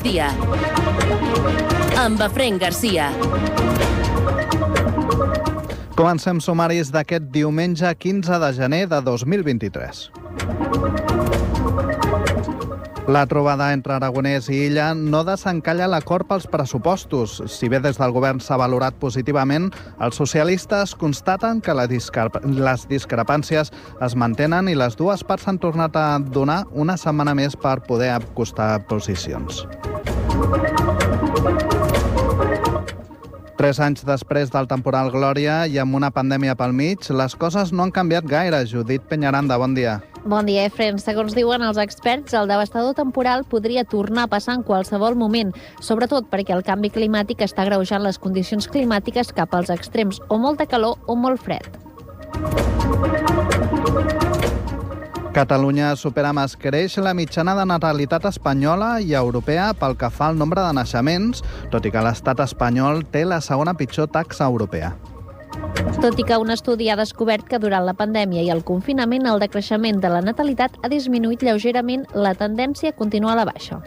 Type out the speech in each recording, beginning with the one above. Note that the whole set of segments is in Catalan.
migdia, amb Efraïm Garcia. Comencem sumaris d'aquest diumenge 15 de gener de 2023. La trobada entre Aragonès i Illa no desencalla l'acord pels pressupostos. Si bé des del govern s'ha valorat positivament, els socialistes constaten que les discrepàncies es mantenen i les dues parts s'han tornat a donar una setmana més per poder acostar posicions. 3 anys després del temporal Glòria i amb una pandèmia pel mig, les coses no han canviat gaire. Judit Peñaranda, bon dia. Bon dia, Efraïm. Segons diuen els experts, el devastador temporal podria tornar a passar en qualsevol moment, sobretot perquè el canvi climàtic està agreujant les condicions climàtiques cap als extrems, o molta calor o molt fred. Catalunya supera amb escreix la mitjana de natalitat espanyola i europea pel que fa al nombre de naixements, tot i que l'estat espanyol té la segona pitjor taxa europea. Tot i que un estudi ha descobert que durant la pandèmia i el confinament el decreixement de la natalitat ha disminuït lleugerament, la tendència continua a la baixa.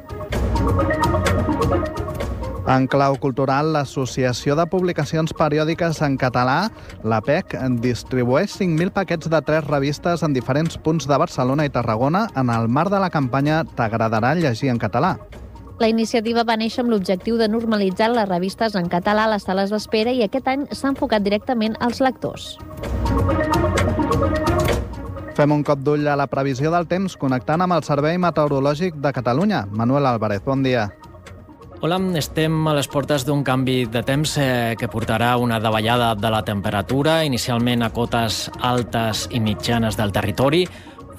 En clau cultural, l'Associació de Publicacions Periòdiques en Català, l'APEC, distribueix 5.000 paquets de 3 revistes en diferents punts de Barcelona i Tarragona en el marc de la campanya T'agradarà llegir en català. La iniciativa va néixer amb l'objectiu de normalitzar les revistes en català a les sales d'espera i aquest any s'ha enfocat directament als lectors. Fem un cop d'ull a la previsió del temps connectant amb el Servei Meteorològic de Catalunya. Manuel Álvarez, bon dia. Hola, estem a les portes d'un canvi de temps que portarà una davallada de la temperatura, inicialment a cotes altes i mitjanes del territori,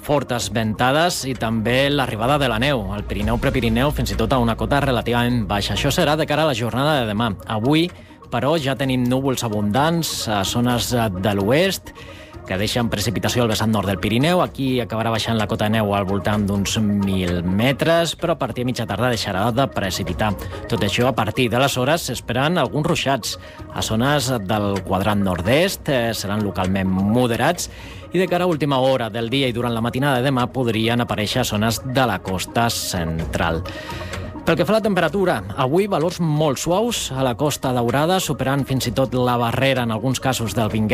fortes ventades i també l'arribada de la neu, al Pirineu, Prepirineu, fins i tot a una cota relativament baixa. Això serà de cara a la jornada de demà. Avui, però, ja tenim núvols abundants a zones de l'oest, que deixen precipitació al vessant nord del Pirineu. Aquí acabarà baixant la cota de neu al voltant d'uns 1.000 metres, però a partir de mitja tarda deixarà de precipitar. Tot això, a partir de les hores, s'esperen alguns ruixats. A zones del quadrant nord-est seran localment moderats i de cara a última hora del dia i durant la matinada de demà podrien aparèixer zones de la costa central. Pel que fa a la temperatura, avui valors molt suaus a la Costa Daurada, superant fins i tot la barrera en alguns casos dels 20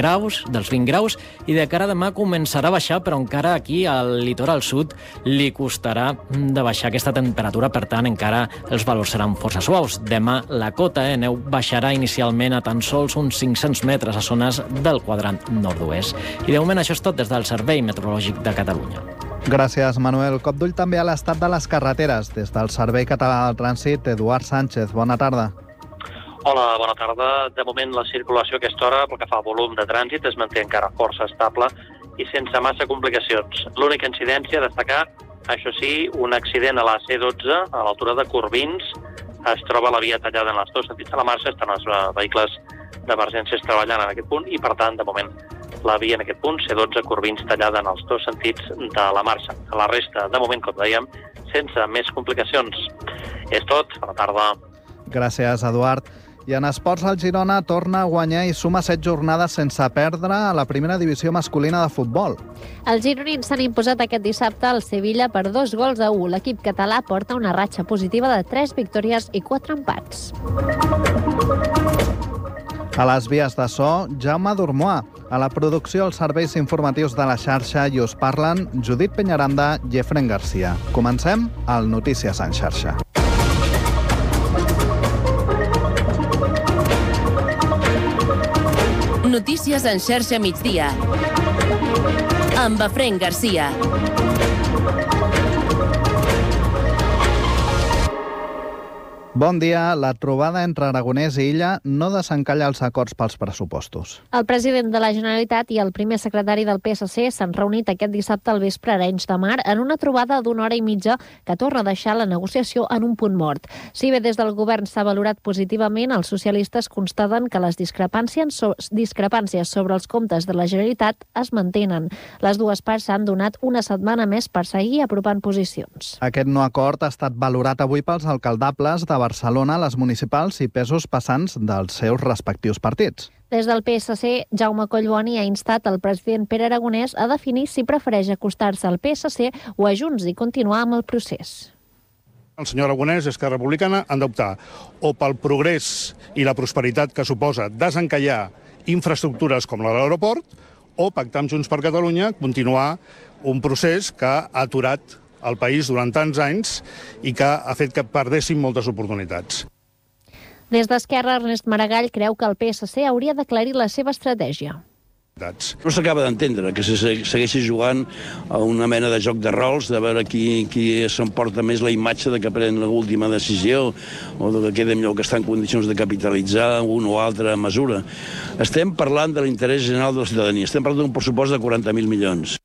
graus, i de cara a demà començarà a baixar, però encara aquí al litoral sud li costarà de baixar aquesta temperatura, per tant encara els valors seran força suaus. Demà la cota de neu baixarà inicialment a tan sols uns 500 metres a zones del quadrant nord-oest. I de moment això és tot des del Servei Meteorològic de Catalunya. Gràcies, Manuel. Cop d'ull també a l'estat de les carreteres. Des del Servei Català del Trànsit, Eduard Sánchez, bona tarda. Hola, bona tarda. De moment la circulació a aquesta hora, pel que fa al volum de trànsit, es manté encara força estable i sense massa complicacions. L'única incidència a destacar, això sí, un accident a la C12, a l'altura de Corbins. Es troba la via tallada en els dos sentits de la marxa, estan els vehicles d'emergències treballant en aquest punt i, per tant, de moment, la via en aquest punt, C12, Corbins, tallada en els dos sentits de la marxa. A la resta, de moment, com dèiem, sense més complicacions. És tot. Bona tarda. Gràcies, Eduard. I en esports, el Girona torna a guanyar i suma 7 jornades sense perdre a la primera divisió masculina de futbol. Els gironins s'han imposat aquest dissabte al Sevilla per 2-1. L'equip català porta una ratxa positiva de 3 victòries i 4 empats. A les vies de so, Jaume Dormoà. A la producció, els serveis informatius de la xarxa i us parlen Judit Peñaranda i Efraïm Garcia. Comencem al Notícies en xarxa. Notícies en xarxa migdia, amb Efraïm Garcia. Bon dia. La trobada entre Aragonès i Illa no desencalla els acords pels pressupostos. El president de la Generalitat i el primer secretari del PSC s'han reunit aquest dissabte al vespre a Arenys de Mar en una trobada d'1 hora i mitja que torna a deixar la negociació en un punt mort. Si bé des del govern s'ha valorat positivament, els socialistes constaten que les discrepàncies sobre els comptes de la Generalitat es mantenen. Les dues parts s'han donat una setmana més per seguir apropant posicions. Aquest no acord ha estat valorat avui pels alcaldables de Barcelona, les municipals i pesos passants dels seus respectius partits. Des del PSC, Jaume Collboni ha instat el president Pere Aragonès a definir si prefereix acostar-se al PSC o a Junts i continuar amb el procés. El senyor Aragonès i Esquerra Republicana han d'optar o pel progrés i la prosperitat que suposa desencallar infraestructures com l'aeroport o pactar amb Junts per Catalunya continuar un procés que ha aturat el país durant tants anys i que ha fet que perdéssim moltes oportunitats. Des d'Esquerra, Ernest Maragall creu que el PSC hauria d'aclarir la seva estratègia. No s'acaba d'entendre que se segueixi jugant a una mena de joc de rols, de veure qui s'emporta més la imatge de que pren l'última decisió o de que queda millor que està en condicions de capitalitzar una o altra mesura. Estem parlant de l'interès general de la ciutadania, estem parlant d'un pressupost de 40.000 milions.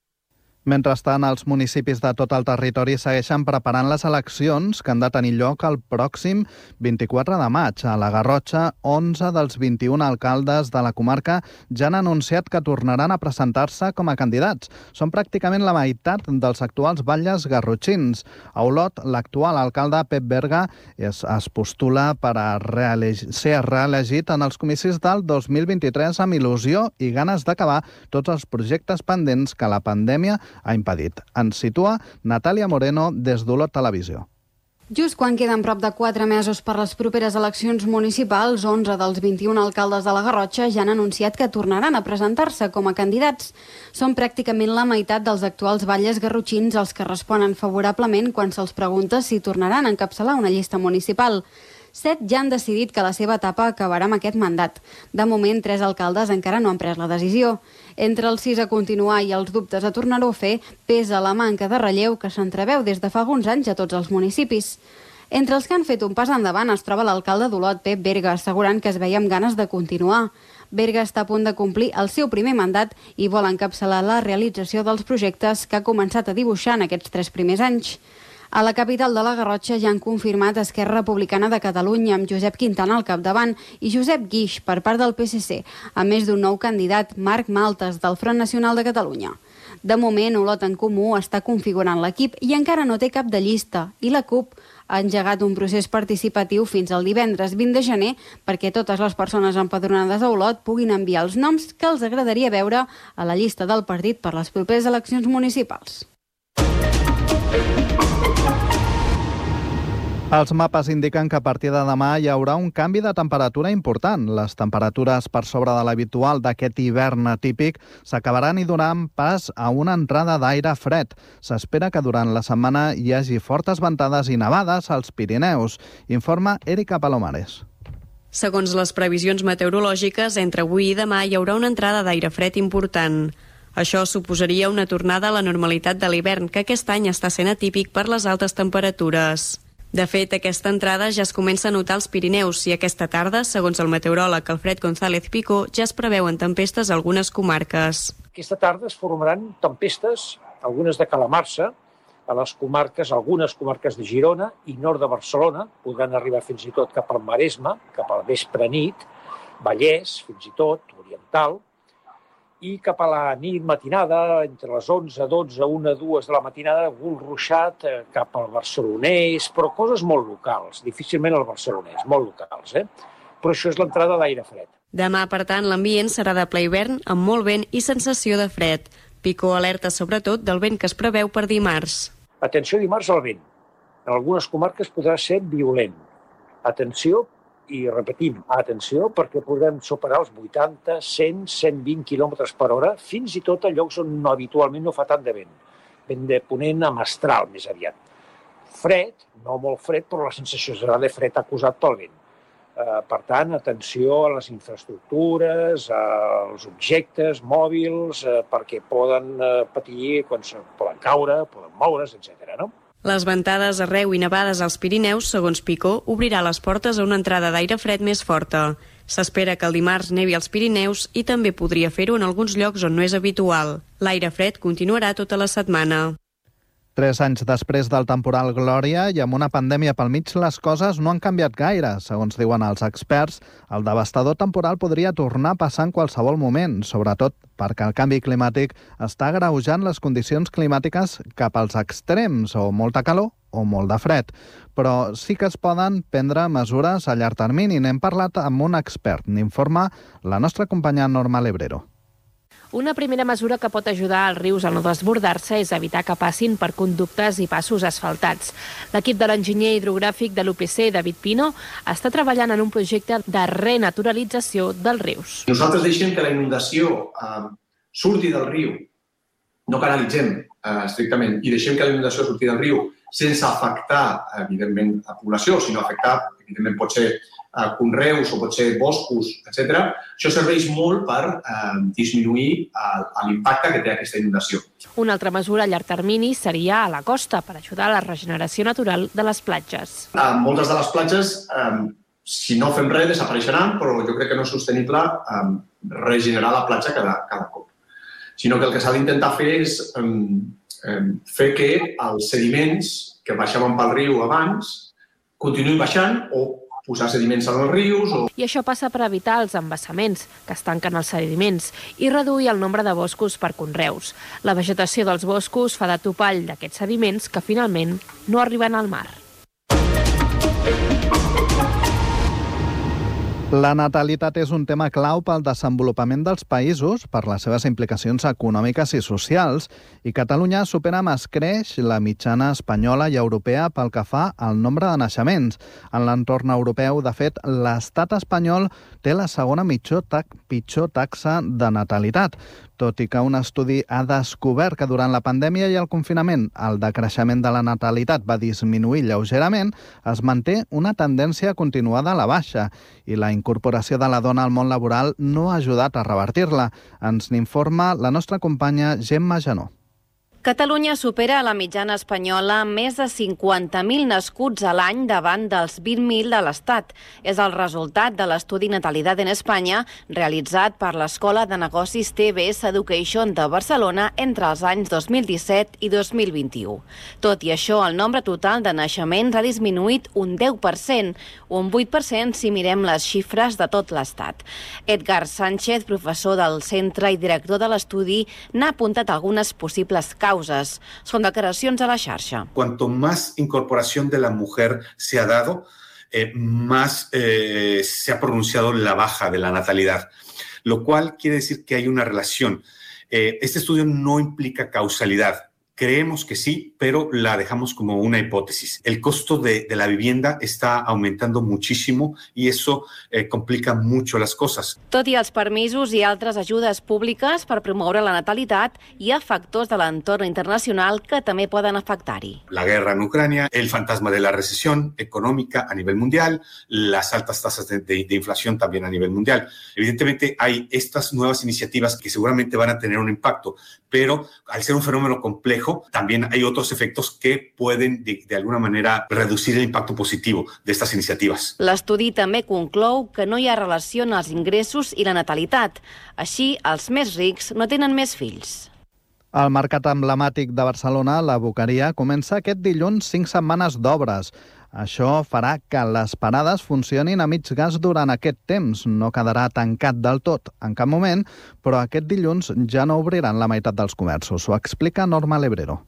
Mentrestant, els municipis de tot el territori segueixen preparant les eleccions que han de tenir lloc el pròxim 24 de maig. A la Garrotxa, 11 dels 21 alcaldes de la comarca ja han anunciat que tornaran a presentar-se com a candidats. Són pràcticament la meitat dels actuals batlles garrotxins. A Olot, l'actual alcalde Pep Berga es postula per a ser reelegit en els comicis del 2023 amb il·lusió i ganes d'acabar tots els projectes pendents que la pandèmia ha impedit. Ens situa Natàlia Moreno des d'Olot Televisió. Just quan queden prop de 4 mesos per les properes eleccions municipals, 11 dels 21 alcaldes de la Garrotxa ja han anunciat que tornaran a presentar-se com a candidats. Són pràcticament la meitat dels actuals batlles garrotxins els que responen favorablement quan se'ls pregunta si tornaran a encapçalar una llista municipal. 7 ja han decidit que la seva etapa acabarà amb aquest mandat. De moment, 3 alcaldes encara no han pres la decisió. Entre els 6 a continuar i els dubtes a tornar-ho a fer, pesa la manca de relleu que s'entreveu des de fa alguns anys a tots els municipis. Entre els que han fet un pas endavant es troba l'alcalde d'Olot, Pep Berga, assegurant que es veia amb ganes de continuar. Berga està a punt de complir el seu primer mandat i vol encapçalar la realització dels projectes que ha començat a dibuixar en aquests 3 primers anys. A la capital de la Garrotxa ja han confirmat Esquerra Republicana de Catalunya amb Josep Quintana al capdavant i Josep Guix per part del PSC, a més d'un nou candidat, Marc Maltes, del Front Nacional de Catalunya. De moment, Olot en Comú està configurant l'equip i encara no té cap de llista, i la CUP ha engegat un procés participatiu fins al divendres 20 de gener perquè totes les persones empadronades a Olot puguin enviar els noms que els agradaria veure a la llista del partit per les properes eleccions municipals. Els mapes indiquen que a partir de demà hi haurà un canvi de temperatura important. Les temperatures per sobre de l'habitual d'aquest hivern atípic s'acabaran i donaran pas a una entrada d'aire fred. S'espera que durant la setmana hi hagi fortes ventades i nevades als Pirineus, informa Erika Palomares. Segons les previsions meteorològiques, entre avui i demà hi haurà una entrada d'aire fred important. Això suposaria una tornada a la normalitat de l'hivern, que aquest any està sent atípic per les altes temperatures. De fet, aquesta entrada ja es comença a notar als Pirineus i aquesta tarda, segons el meteoròleg Alfred González Pico, ja es preveuen tempestes a algunes comarques. Aquesta tarda es formaran tempestes, algunes de calamarsa, a les comarques, algunes comarques de Girona i nord de Barcelona, podran arribar fins i tot cap al Maresme, cap al vespre nit, Vallès, fins i tot, Oriental, i cap a la nit matinada, entre les 11, 12, 1, 2 de la matinada, algun ruixat cap al barcelonès, però coses molt locals, difícilment al barcelonès, molt locals, Però això és l'entrada d'aire fred. Demà, per tant, l'ambient serà de ple hivern, amb molt vent i sensació de fred. Pico alerta sobretot del vent que es preveu per dimarts. Atenció dimarts al vent. En algunes comarques podrà ser violent. Atenció, i repetim, atenció, perquè podrem superar els 80, 100, 120 km per hora, fins i tot a llocs on habitualment no fa tant de vent. Vent de ponent a mestral, més aviat. Fred, no molt fred, però la sensació serà de fred acusat pel vent. Per tant, atenció a les infraestructures, als objectes mòbils, perquè poden patir quan poden caure, poden moure's, etc. no? Les ventades arreu i nevades als Pirineus, segons Picó, obrirà les portes a una entrada d'aire fred més forta. S'espera que el dimarts nevi als Pirineus i també podria fer-ho en alguns llocs on no és habitual. L'aire fred continuarà tota la setmana. 3 anys després del temporal Glòria i amb una pandèmia pel mig, les coses no han canviat gaire. Segons diuen els experts, el devastador temporal podria tornar a passar en qualsevol moment, sobretot perquè el canvi climàtic està agreujant les condicions climàtiques cap als extrems, o molta calor o molt de fred. Però sí que es poden prendre mesures a llarg termini. N'hem parlat amb un expert, n'informa la nostra companya Norma Lebrero. Una primera mesura que pot ajudar als rius a no desbordar-se és evitar que passin per conductes i passos asfaltats. L'equip de l'enginyer hidrogràfic de l'UPC, David Pino, està treballant en un projecte de renaturalització dels rius. Nosaltres deixem que la inundació surti del riu, no canalitzem estrictament, i deixem que la inundació surti del riu sense afectar, evidentment, a població, sinó afectar, evidentment, pot ser conreus o pot ser boscos, etc. Això serveix molt per disminuir l'impacte que té aquesta inundació. Una altra mesura a llarg termini seria a la costa, per ajudar a la regeneració natural de les platges. Moltes de les platges, si no fem res, desapareixeran, però jo crec que no és sostenible regenerar la platja cada cop. Sinó que el que s'ha d'intentar fer és fer que els sediments que baixaven pel riu abans continuïn baixant o posar sediments en els rius. I això passa per evitar els embassaments, que es tanquen els sediments, i reduir el nombre de boscos per conreus. La vegetació dels boscos fa de topall d'aquests sediments que finalment no arriben al mar. La natalitat és un tema clau pel desenvolupament dels països, per les seves implicacions econòmiques i socials, i Catalunya supera amb escreix la mitjana espanyola i europea pel que fa al nombre de naixements. En l'entorn europeu, de fet, l'estat espanyol té la segona pitjor taxa de natalitat, tot i que un estudi ha descobert que durant la pandèmia i el confinament el decreixement de la natalitat va disminuir lleugerament, es manté una tendència continuada a la baixa i la incorporació de la dona al món laboral no ha ajudat a revertir-la. Ens n'informa la nostra companya Gemma Janó. Catalunya supera la mitjana espanyola amb més de 50.000 nascuts a l'any davant dels 20.000 de l'Estat. És el resultat de l'estudi Natalidad en Espanya realitzat per l'Escola de Negocis TBS Education de Barcelona entre els anys 2017 i 2021. Tot i això, el nombre total de naixements ha disminuït un 10%, un 8% si mirem les xifres de tot l'Estat. Edgar Sánchez, professor del centre i director de l'estudi, n'ha apuntat algunes possibles causes. Son declaracions a la xarxa. Cuanto más incorporación de la mujer se ha dado, más se ha pronunciado la baja de la natalidad, lo cual quiere decir que hay una relación. Este estudio no implica causalidad. Creemos que sí, pero la dejamos como una hipótesis. El costo de la vivienda está aumentando muchísimo y eso complica mucho las cosas. Tot i els permisos i altres ajudes públiques per promoure la natalitat, hi ha factors de l'entorn internacional que també poden afectar-hi. La guerra en Ucrania, el fantasma de la recesión económica a nivel mundial, las altas tasas de inflación también a nivel mundial. Evidentemente hay estas nuevas iniciativas que seguramente van a tener un impacto, pero al ser un fenómeno complejo, también hay otros efectos que pueden, de alguna manera, reducir el impacto positivo de estas iniciativas. L'estudi també conclou que no hi ha relació en els ingressos i la natalitat. Així, els més rics no tenen més fills. El mercat emblemàtic de Barcelona, la Boqueria, comença aquest dilluns 5 setmanes d'obres. Això farà que les parades funcionin a mig gas durant aquest temps. No quedarà tancat del tot en cap moment, però aquest dilluns ja no obriran la meitat dels comerços. Ho explica Norma Lebrero.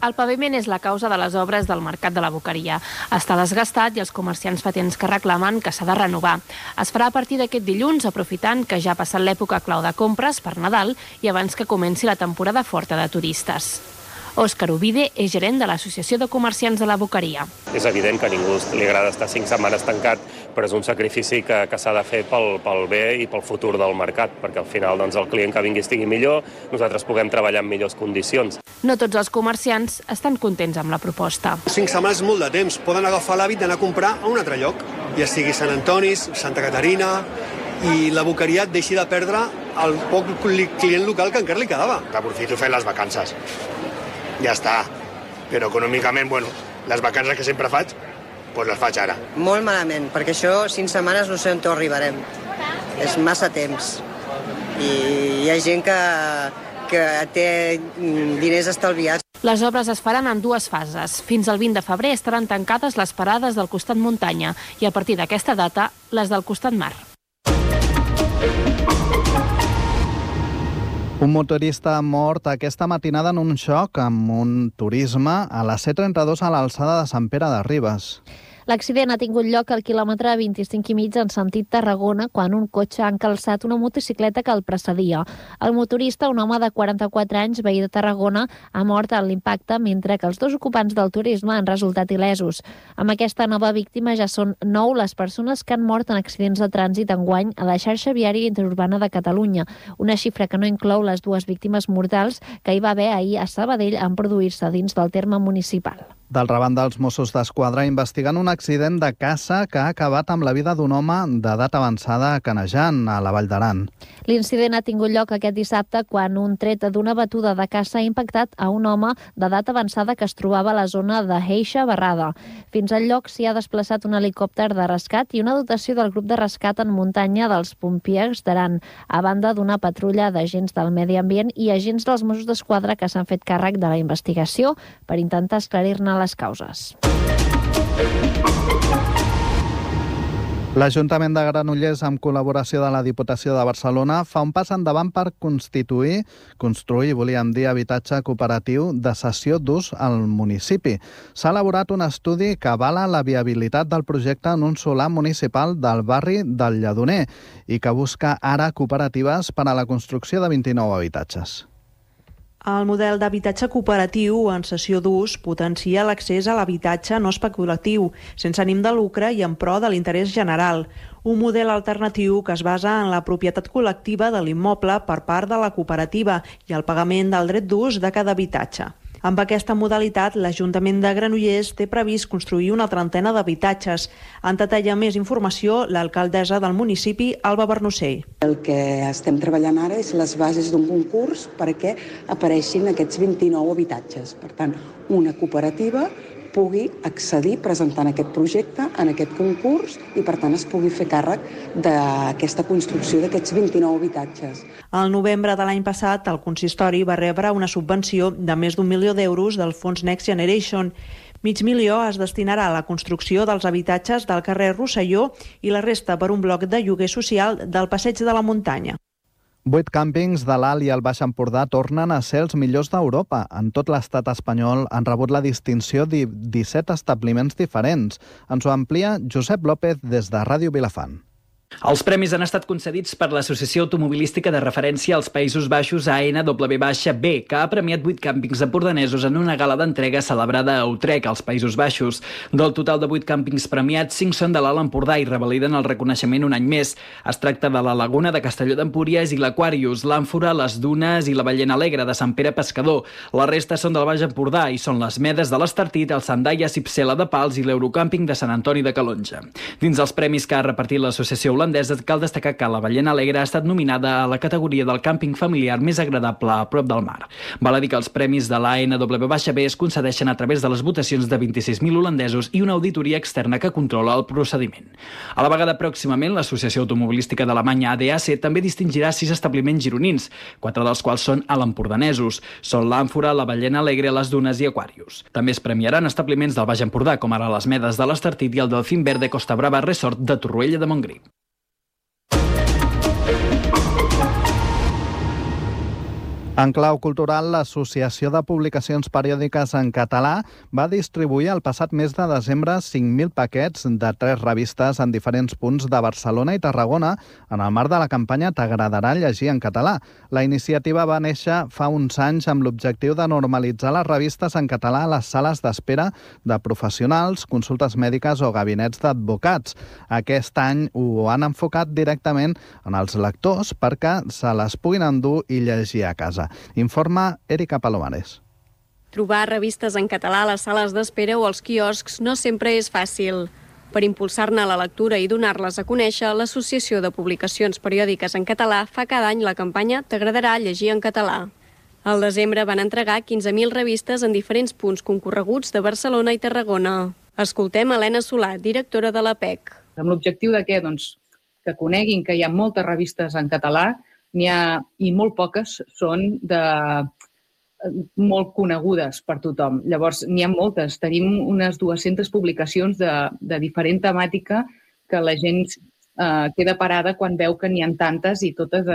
El paviment és la causa de les obres del mercat de la Boqueria. Està desgastat i els comerciants fa temps que reclamen que s'ha de renovar. Es farà a partir d'aquest dilluns, aprofitant que ja ha passat l'època clau de compres per Nadal i abans que comenci la temporada forta de turistes. Òscar Ovide és gerent de l'Associació de Comerciants de la Boqueria. És evident que a ningú li agrada estar 5 setmanes tancat, però és un sacrifici que s'ha de fer pel bé i pel futur del mercat, perquè al final el client que vingui estigui millor, nosaltres puguem treballar en millors condicions. No tots els comerciants estan contents amb la proposta. 5 setmanes és molt de temps. Poden agafar l'hàbit d'anar a comprar a un altre lloc, ja sigui Sant Antoni, Santa Caterina, i la Boqueria deixi de perdre el poc client local que encara li quedava. Aprofito fer les vacances. Ja està. Però econòmicament, les vacances que sempre faig, doncs les faig ara. Molt malament, perquè això 5 setmanes no sé on arribarem. És massa temps. I hi ha gent que té diners estalviats. Les obres es faran en 2 fases. Fins al 20 de febrer estaran tancades les parades del costat muntanya i a partir d'aquesta data, les del costat mar. Un motorista ha mort aquesta matinada en un xoc amb un turisme a la C32 a l'alçada de Sant Pere de Ribes. L'accident ha tingut lloc al quilòmetre 25,5 en sentit Tarragona, quan un cotxe ha encalçat una motocicleta que el precedia. El motorista, un home de 44 anys, veí de Tarragona, ha mort en l'impacte, mentre que els dos ocupants del turisme han resultat il·lesos. Amb aquesta nova víctima ja són 9 les persones que han mort en accidents de trànsit enguany a la xarxa viària interurbana de Catalunya, una xifra que no inclou les 2 víctimes mortals que hi va haver ahir a Sabadell en produir-se dins del terme municipal. D'altra banda, els Mossos d'Esquadra investiguen un accident de caça que ha acabat amb la vida d'un home d'edat avançada a Canejan, a la Vall d'Aran. L'incident ha tingut lloc aquest dissabte quan un tret d'una batuda de caça ha impactat a un home d'edat avançada que es trobava a la zona de Heixa, Barrada. Fins al lloc s'hi ha desplaçat un helicòpter de rescat i una dotació del grup de rescat en muntanya dels Pompiers d'Aran, a banda d'una patrulla d'agents del medi ambient i agents dels Mossos d'Esquadra que s'han fet càrrec de la investigació per intentar esclarir-ne les causes. L'Ajuntament de Granollers, amb col·laboració de la Diputació de Barcelona, fa un pas endavant per construir, volíem dir, habitatge cooperatiu de cessió d'ús al municipi. S'ha elaborat un estudi que avala la viabilitat del projecte en un solar municipal del barri del Lledoner i que busca ara cooperatives per a la construcció de 29 habitatges. El model d'habitatge cooperatiu en cessió d'ús potencia l'accés a l'habitatge no especulatiu, sense ànim de lucre i en pro de l'interès general. Un model alternatiu que es basa en la propietat col·lectiva de l'immoble per part de la cooperativa i el pagament del dret d'ús de cada habitatge. Amb aquesta modalitat, l'Ajuntament de Granollers té previst construir una trentena d'habitatges. En detalla més informació l'alcaldessa del municipi, Alba Bernocell. El que estem treballant ara és les bases d'un concurs perquè apareixin aquests 29 habitatges. Per tant, una cooperativa pugui accedir presentant aquest projecte en aquest concurs i, per tant, es pugui fer càrrec d'aquesta construcció d'aquests 29 habitatges. Al novembre de l'any passat, el consistori va rebre una subvenció de més d'1 milió d'euros del fons Next Generation. $500,000 es destinarà a la construcció dels habitatges del carrer Rosselló i la resta per un bloc de lloguer social del Passeig de la Muntanya. 8 càmpings de l'Alt i el Baix Empordà tornen a ser els millors d'Europa. En tot l'estat espanyol han rebut la distinció de 17 establiments diferents. Ens ho amplia Josep López des de Ràdio Vilafant. Els premis han estat concedits per l'Associació Automobilística de Referència als Països Baixos ANWB, que ha premiat 8 càmpings empordanesos en una gala d'entrega celebrada a Utrecht, als Països Baixos. Del total de 8 càmpings premiats, 5 són de l'Alt Empordà i revaliden el reconeixement un any més. Es tracta de la Laguna de Castelló d'Empúries i l'Aquarius, l'Àmfora, les Dunes i la Ballena Alegre de Sant Pere Pescador. La resta són del Baix Empordà i són les Medes de l'Estartit, el Sandaia Cipsela de Pals i l'Eurocàmping de Sant Antoni de Calonja. Dins els premis que ha repartit l'associació holandesa, cal destacar que la Ballena Alegre ha estat nominada a la categoria del càmping familiar més agradable a prop del mar. Val a dir que els premis de l'ANWB es concedeixen a través de les votacions de 26.000 holandesos i una auditoria externa que controla el procediment. A la vegada, pròximament, l'Associació Automobilística d'Alemanya ADAC també distingirà 6 establiments gironins, 4 dels quals són alempordanesos. Són l'Àmfora, la Ballena Alegre, les Dunes i Aquarius. També es premiaran establiments del Baix Empordà, com ara les Medes de l'Estartit i el Delfín Verde Costa Brava Resort de Torroella de Montgrí. En clau cultural, l'Associació de Publicacions Periòdiques en Català va distribuir el passat mes de desembre 5.000 paquets de 3 revistes en diferents punts de Barcelona i Tarragona en el marc de la campanya T'agradarà llegir en català. La iniciativa va néixer fa uns anys amb l'objectiu de normalitzar les revistes en català a les sales d'espera de professionals, consultes mèdiques o gabinets d'advocats. Aquest any ho han enfocat directament en els lectors perquè se les puguin endur i llegir a casa. Informa Erika Palomares. Trobar revistes en català a les sales d'espera o als quioscs no sempre és fàcil. Per impulsar-ne la lectura i donar-les a conèixer, l'Associació de Publicacions Periòdiques en Català fa cada any la campanya T'agradarà llegir en català. Al desembre van entregar 15.000 revistes en diferents punts concorreguts de Barcelona i Tarragona. Escoltem Helena Solà, directora de l'APEC. Amb l'objectiu de què? Doncs que coneguin que hi ha moltes revistes en català, n'hi ha, i molt poques són molt conegudes per tothom. Llavors, n'hi ha moltes. Tenim unes 200 publicacions de diferent temàtica que la gent queda parada quan veu que n'hi ha tantes i totes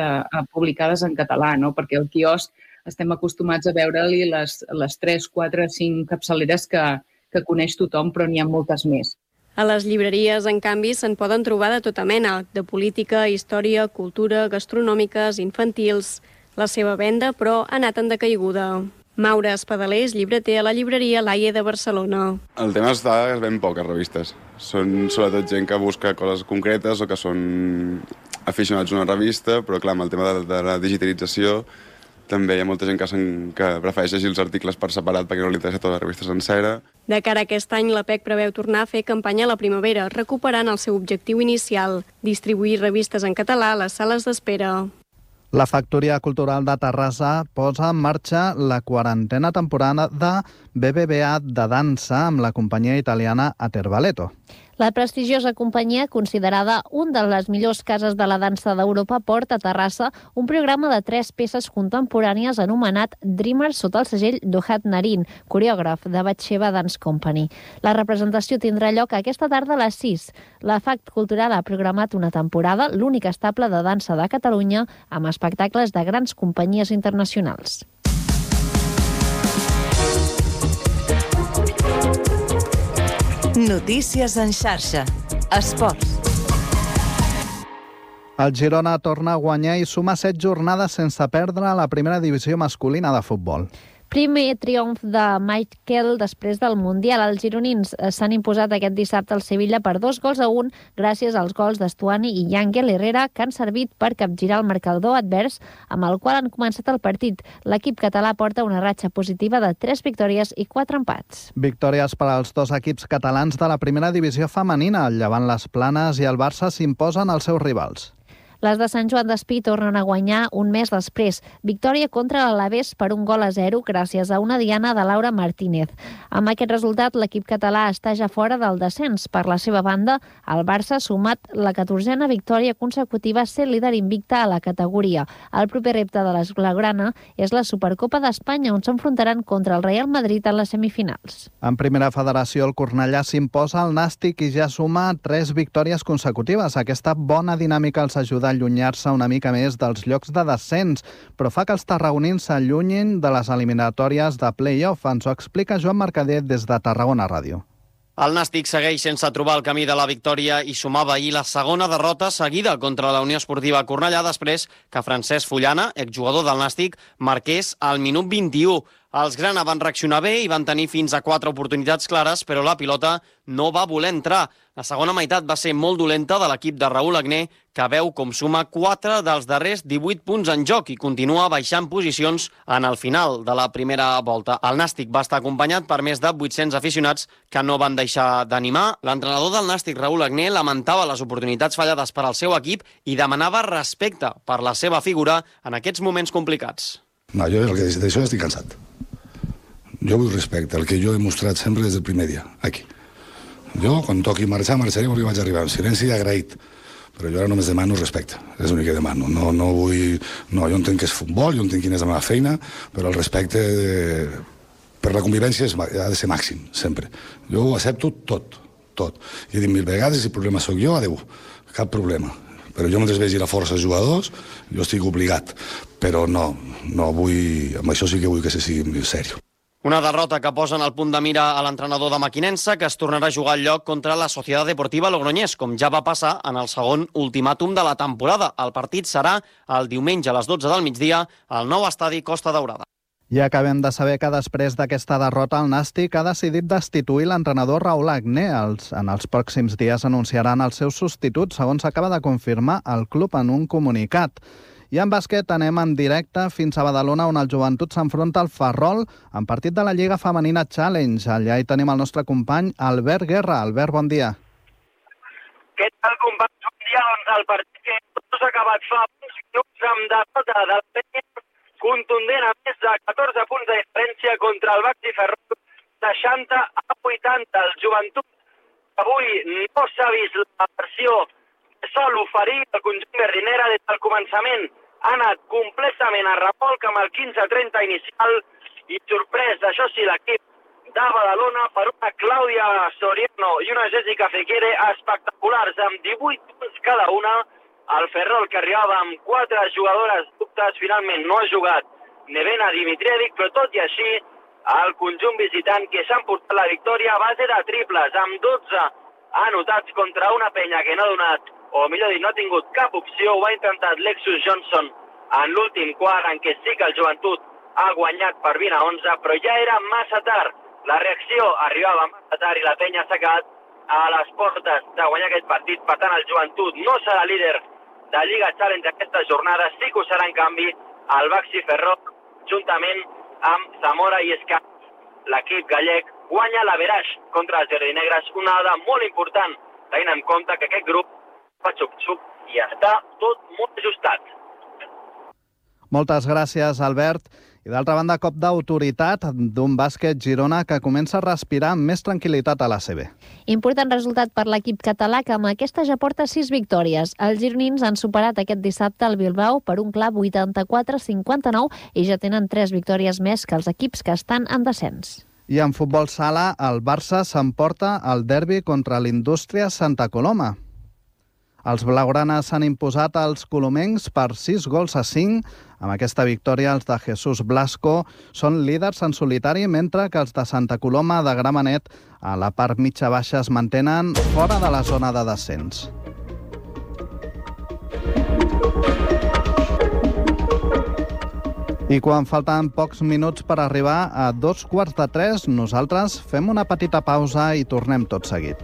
publicades en català, no? Perquè al quiosc estem acostumats a veure-li les 3, 4, 5 capçaleres que coneix tothom, però n'hi ha moltes més. A les llibreries, en canvi, se'n poden trobar de tota mena, de política, història, cultura, gastronòmiques, infantils. La seva venda, però, ha anat en decaiguda. Maura Espadaler és llibreter a la llibreria Laie de Barcelona. El tema és que es ven poques revistes. Són sobretot gent que busca coses concretes o que són aficionats a una revista, però clar, amb el tema de la digitalització també hi ha molta gent que prefereix llegir els articles per separat perquè no li interessa tota la revista sencera. De cara a aquest any, l'APEC preveu tornar a fer campanya a la primavera, recuperant el seu objectiu inicial, distribuir revistes en català a les sales d'espera. La Factoria Cultural de Terrassa posa en marxa la 40a temporada de BBVA de dansa amb la companyia italiana Aterballetto. La prestigiosa companyia, considerada un de les millors cases de la dansa d'Europa, porta a Terrassa un programa de 3 peces contemporànies anomenat Dreamers sota el segell d'Ohad Narin, coreògraf de Batsheva Dance Company. La representació tindrà lloc aquesta tarda a les 6. La FACT Cultural ha programat una temporada, l'únic estable de dansa de Catalunya, amb espectacles de grans companyies internacionals. Notícies en xarxa. Esports. El Girona torna a guanyar i suma 7 jornades sense perdre a la primera divisió masculina de futbol. Primer triomf de Michael després del Mundial. Els gironins s'han imposat aquest dissabte al Sevilla per 2-1 gràcies als gols d'Estuani i Ángel Herrera, que han servit per capgirar el marcador advers amb el qual han començat el partit. L'equip català porta una ratxa positiva de 3 victòries i 4 empats. Victòries per als 2 equips catalans de la primera divisió femenina. El Llevant Les Planes i el Barça s'imposen als seus rivals. Les de Sant Joan d'Espí tornen a guanyar un mes després. Victòria contra l'Alavés per 1-0 gràcies a una diana de Laura Martínez. Amb aquest resultat, l'equip català està ja fora del descens. Per la seva banda, el Barça ha sumat la 14a victòria consecutiva sent líder invicta a la categoria. El proper repte de l'Esblaugrana és la Supercopa d'Espanya, on s'enfrontaran contra el Real Madrid en les semifinals. En primera federació, el Cornellà s'imposa al Nàstic i ja suma 3 victòries consecutives. Aquesta bona dinàmica els ajuda a allunyar-se una mica més dels llocs de descens, però fa que els tarragonins s'allunyin de les eliminatòries de play-off. Ens ho explica Joan Mercader des de Tarragona Ràdio. El Nàstic segueix sense trobar el camí de la victòria i sumava ahir la segona derrota seguida contra la Unió Esportiva Cornellà després que Francesc Fullana, exjugador del Nàstic, marqués al minut 21. Els grana van reaccionar bé i van tenir fins a 4 oportunitats clares, però la pilota no va voler entrar. La segona meitat va ser molt dolenta de l'equip de Raül Agné, que veu com suma 4 dels darrers 18 punts en joc i continua baixant posicions en el final de la primera volta. El Nàstic va estar acompanyat per més de 800 aficionats que no van deixar d'animar. L'entrenador del Nàstic, Raül Agné, lamentava les oportunitats fallades per al seu equip i demanava respecte per la seva figura en aquests moments complicats. No, jo d'això estic cansat. Jo vull respecte, el que jo he mostrat sempre des del primer dia, aquí. Jo, quan toqui marxar, marxaré perquè vaig arribar en silenci i agraït. Però jo ara només demano respecte, és l'únic que demano. No vull... No, jo entenc que és futbol, jo entenc quina és la meva feina, però el respecte per la convivència ha de ser màxim, sempre. Jo ho accepto tot. I he dit 1000 vegades, si el problema sóc jo, adeu, cap problema. Però jo mentre vegi la força dels jugadors, jo estic obligat. Però no vull... Amb això sí que vull que se sigui seriós. Una derrota que posa en el punt de mira a l'entrenador de Mequinensa, que es tornarà a jugar al lloc contra la Societat Deportiva Logroñés, com ja va passar en el segon ultimàtum de la temporada. El partit serà el diumenge a les 12 del migdia al nou estadi Costa Daurada. I acabem de saber que després d'aquesta derrota el Nàstic ha decidit destituir l'entrenador Raül Agné. En els pròxims dies anunciaran els seus substituts, segons acaba de confirmar el club en un comunicat. I en bàsquet anem en directe fins a Badalona, on el Joventut s'enfronta al Ferrol en partit de la Lliga Femenina Challenge. Allà hi tenim el nostre company Albert Guerra. Albert, bon dia. Què tal, companys? Bon dia. Doncs el partit que tot s'ha acabat fa uns minuts amb derrota del Penya contundent a més de 14 punts de diferència contra el Baxi Ferrol, 60-80. El Joventut avui no s'ha vist la versió que sol oferir el conjunt berlinera des del començament. Ha anat completament a remolc amb el 15-30 inicial i sorprès, això sí, l'equip de Badalona per una Clàudia Soriano i una Jessica Fekere espectaculars amb 18 punts cada una. El Ferrol, que arribava amb 4 jugadores dubtes, finalment no ha jugat Nevena Dimitrievic, però tot i així el conjunt visitant que s'ha emportat la victòria a base de triples amb 12 anotats contra una penya que no ha donat, o millor dit, no ha tingut cap opció. Ho ha intentat Lexus Johnson en l'últim quart, en què sí que el Joventut ha guanyat per 20-11, però ja era massa tard. La reacció arribava massa tard i la penya s'ha quedat a les portes de guanyar aquest partit. Per tant, el Joventut no serà líder de Lliga Challenge aquesta jornada. Sí que ho serà, en canvi, el Baxi Ferrol, juntament amb Zamora i Escap. L'equip gallec guanya l'averaix contra els jardinegres, una dada molt important, tenint en compte que aquest grup fa xup-xup i està tot molt ajustat. Moltes gràcies, Albert. I d'altra banda, cop d'autoritat d'un bàsquet Girona que comença a respirar amb més tranquil·litat a l'ACB. Important resultat per l'equip català, que amb aquesta ja porta 6 victòries. Els gironins han superat aquest dissabte el Bilbao per un clar 84-59 i ja tenen 3 victòries més que els equips que estan en descens. I en futbol sala, el Barça s'emporta el derbi contra l'Indústria Santa Coloma. Els blaugranes s'han imposat als colomencs per 6-5. Amb aquesta victòria, els de Jesús Blasco són líders en solitari, mentre que els de Santa Coloma de Gramenet a la part mitja-baixa es mantenen fora de la zona de descens. I quan falten pocs minuts per arribar a 2:45, nosaltres fem una petita pausa i tornem tot seguit.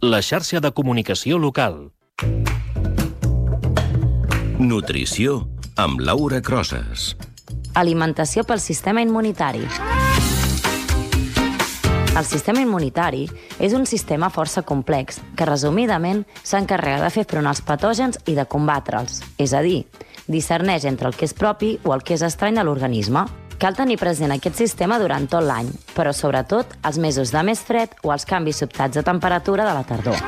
La xarxa de comunicació local. Nutrició amb Laura Crosas. Alimentació pel sistema immunitari. El sistema immunitari és un sistema força complex que, resumidament, s'encarrega de fer front als patògens i de combatre'ls. És a dir, discerneix entre el que és propi o el que és estrany a l'organisme. Cal tenir present aquest sistema durant tot l'any, però sobretot els mesos de més fred o els canvis sobtats de temperatura de la tardor.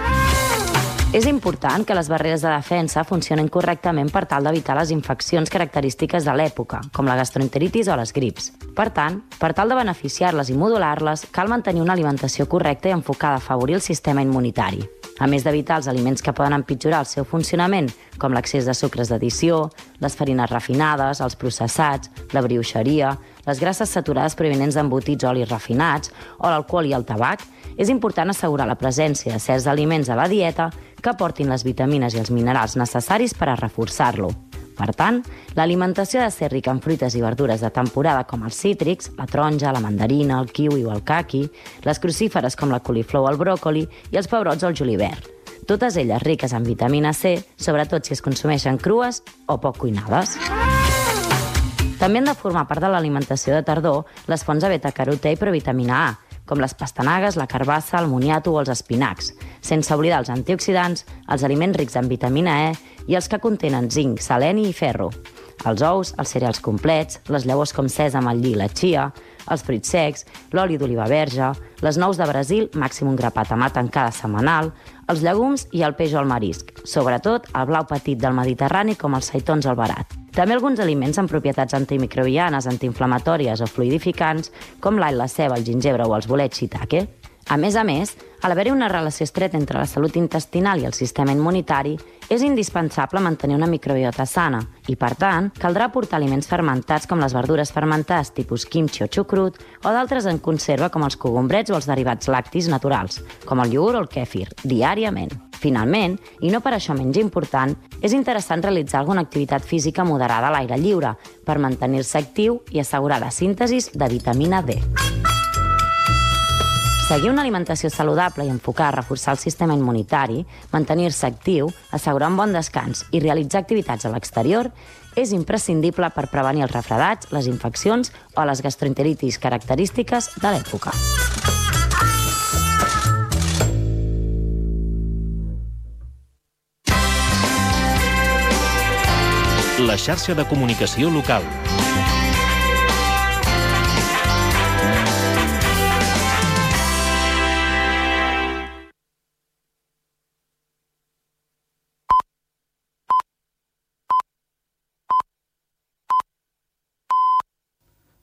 És important que les barreres de defensa funcionin correctament per tal d'evitar les infeccions característiques de l'època, com la gastroenteritis o les grips. Per tant, per tal de beneficiar-les i modular-les, cal mantenir una alimentació correcta i enfocada a afavorir el sistema immunitari. A més d'evitar els aliments que poden empitjorar el seu funcionament, com l'excés de sucres d'addició, les farines refinades, els processats, la brioixeria, les grasses saturades provinents d'embotits o olis refinats, o l'alcohol i el tabac, és important assegurar la presència de certs aliments a la dieta que aportin les vitamines i els minerals necessaris per a reforçar-lo. Per tant, l'alimentació ha de ser rica en fruites i verdures de temporada com els cítrics, la taronja, la mandarina, el kiwi o el caqui, les crucíferes com la coliflor o el bròcoli i els pebrots o el julivert. Totes elles riques en vitamina C, sobretot si es consumeixen crues o poc cuinades. També han de formar part de l'alimentació de tardor les fonts de beta-carotè i provitamina A, com les pastanagues, la carbassa, el moniato o els espinacs, sense oblidar els antioxidants, els aliments rics en vitamina E i els que contenen zinc, seleni i ferro. Els ous, els cereals complets, les llavors com sèsam, el lli i la chia, els fruits secs, l'oli d'oliva verge, les nous de Brasil, màxim un grapat amb tancada setmanal, els llegums i el peix o el marisc, sobretot el blau petit del Mediterrani com els seitons al barat. També alguns aliments amb propietats antimicrobianes, antiinflamatòries o fluidificants, com l'all, la ceba, el gingebre o els bolets shiitake. A més, a l'haver-hi una relació estreta entre la salut intestinal i el sistema immunitari, és indispensable mantenir una microbiota sana i, per tant, caldrà aportar aliments fermentats com les verdures fermentades tipus kimchi o xucrut o d'altres en conserva com els cogombrets o els derivats lactis naturals, com el iogurt o el kèfir, diàriament. Finalment, i no per això menys important, és interessant realitzar alguna activitat física moderada a l'aire lliure per mantenir-se actiu i assegurar la síntesi de vitamina D. Seguir una alimentació saludable i enfocada a reforçar el sistema immunitari, mantenir-se actiu, assegurar un bon descans i realitzar activitats a l'exterior és imprescindible per prevenir els refredats, les infeccions o les gastroenteritis característiques de l'època. La xarxa de comunicació local.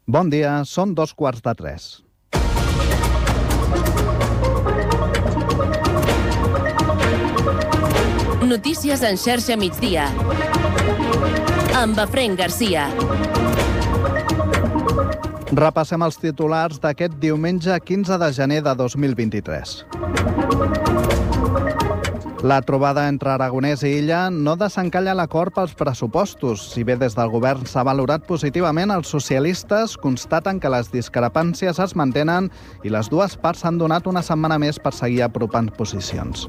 Bon dia, són 2:45. Notícies en xarxa migdia. Amb Efraín Garcia. Repassem els titulars d'aquest diumenge 15 de gener de 2023. La trobada entre Aragonès i Illa no desencalla l'acord pels pressupostos. Si bé des del govern s'ha valorat positivament, els socialistes constaten que les discrepàncies es mantenen i les dues parts han donat una setmana més per seguir apropant posicions.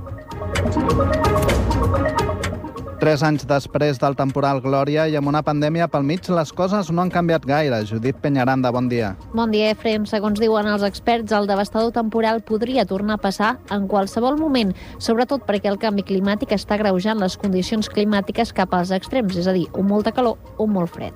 3 anys després del temporal Glòria i amb una pandèmia pel mig, les coses no han canviat gaire. Judit Peñaranda, bon dia. Bon dia, Efrem. Segons diuen els experts, el devastador temporal podria tornar a passar en qualsevol moment, sobretot perquè el canvi climàtic està agreujant les condicions climàtiques cap als extrems, és a dir, un molta calor o un molt fred.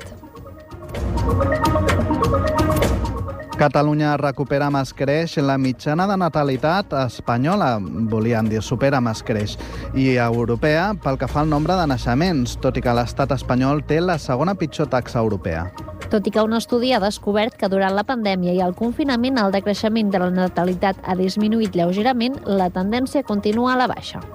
Catalunya recupera amb escreix la mitjana de natalitat espanyola, volien dir supera amb escreix, i europea pel que fa al nombre de naixements, tot i que l'estat espanyol té la segona pitjor taxa europea. Tot i que un estudi ha descobert que durant la pandèmia i el confinament el decreixement de la natalitat ha disminuït lleugerament, la tendència continua a la baixa.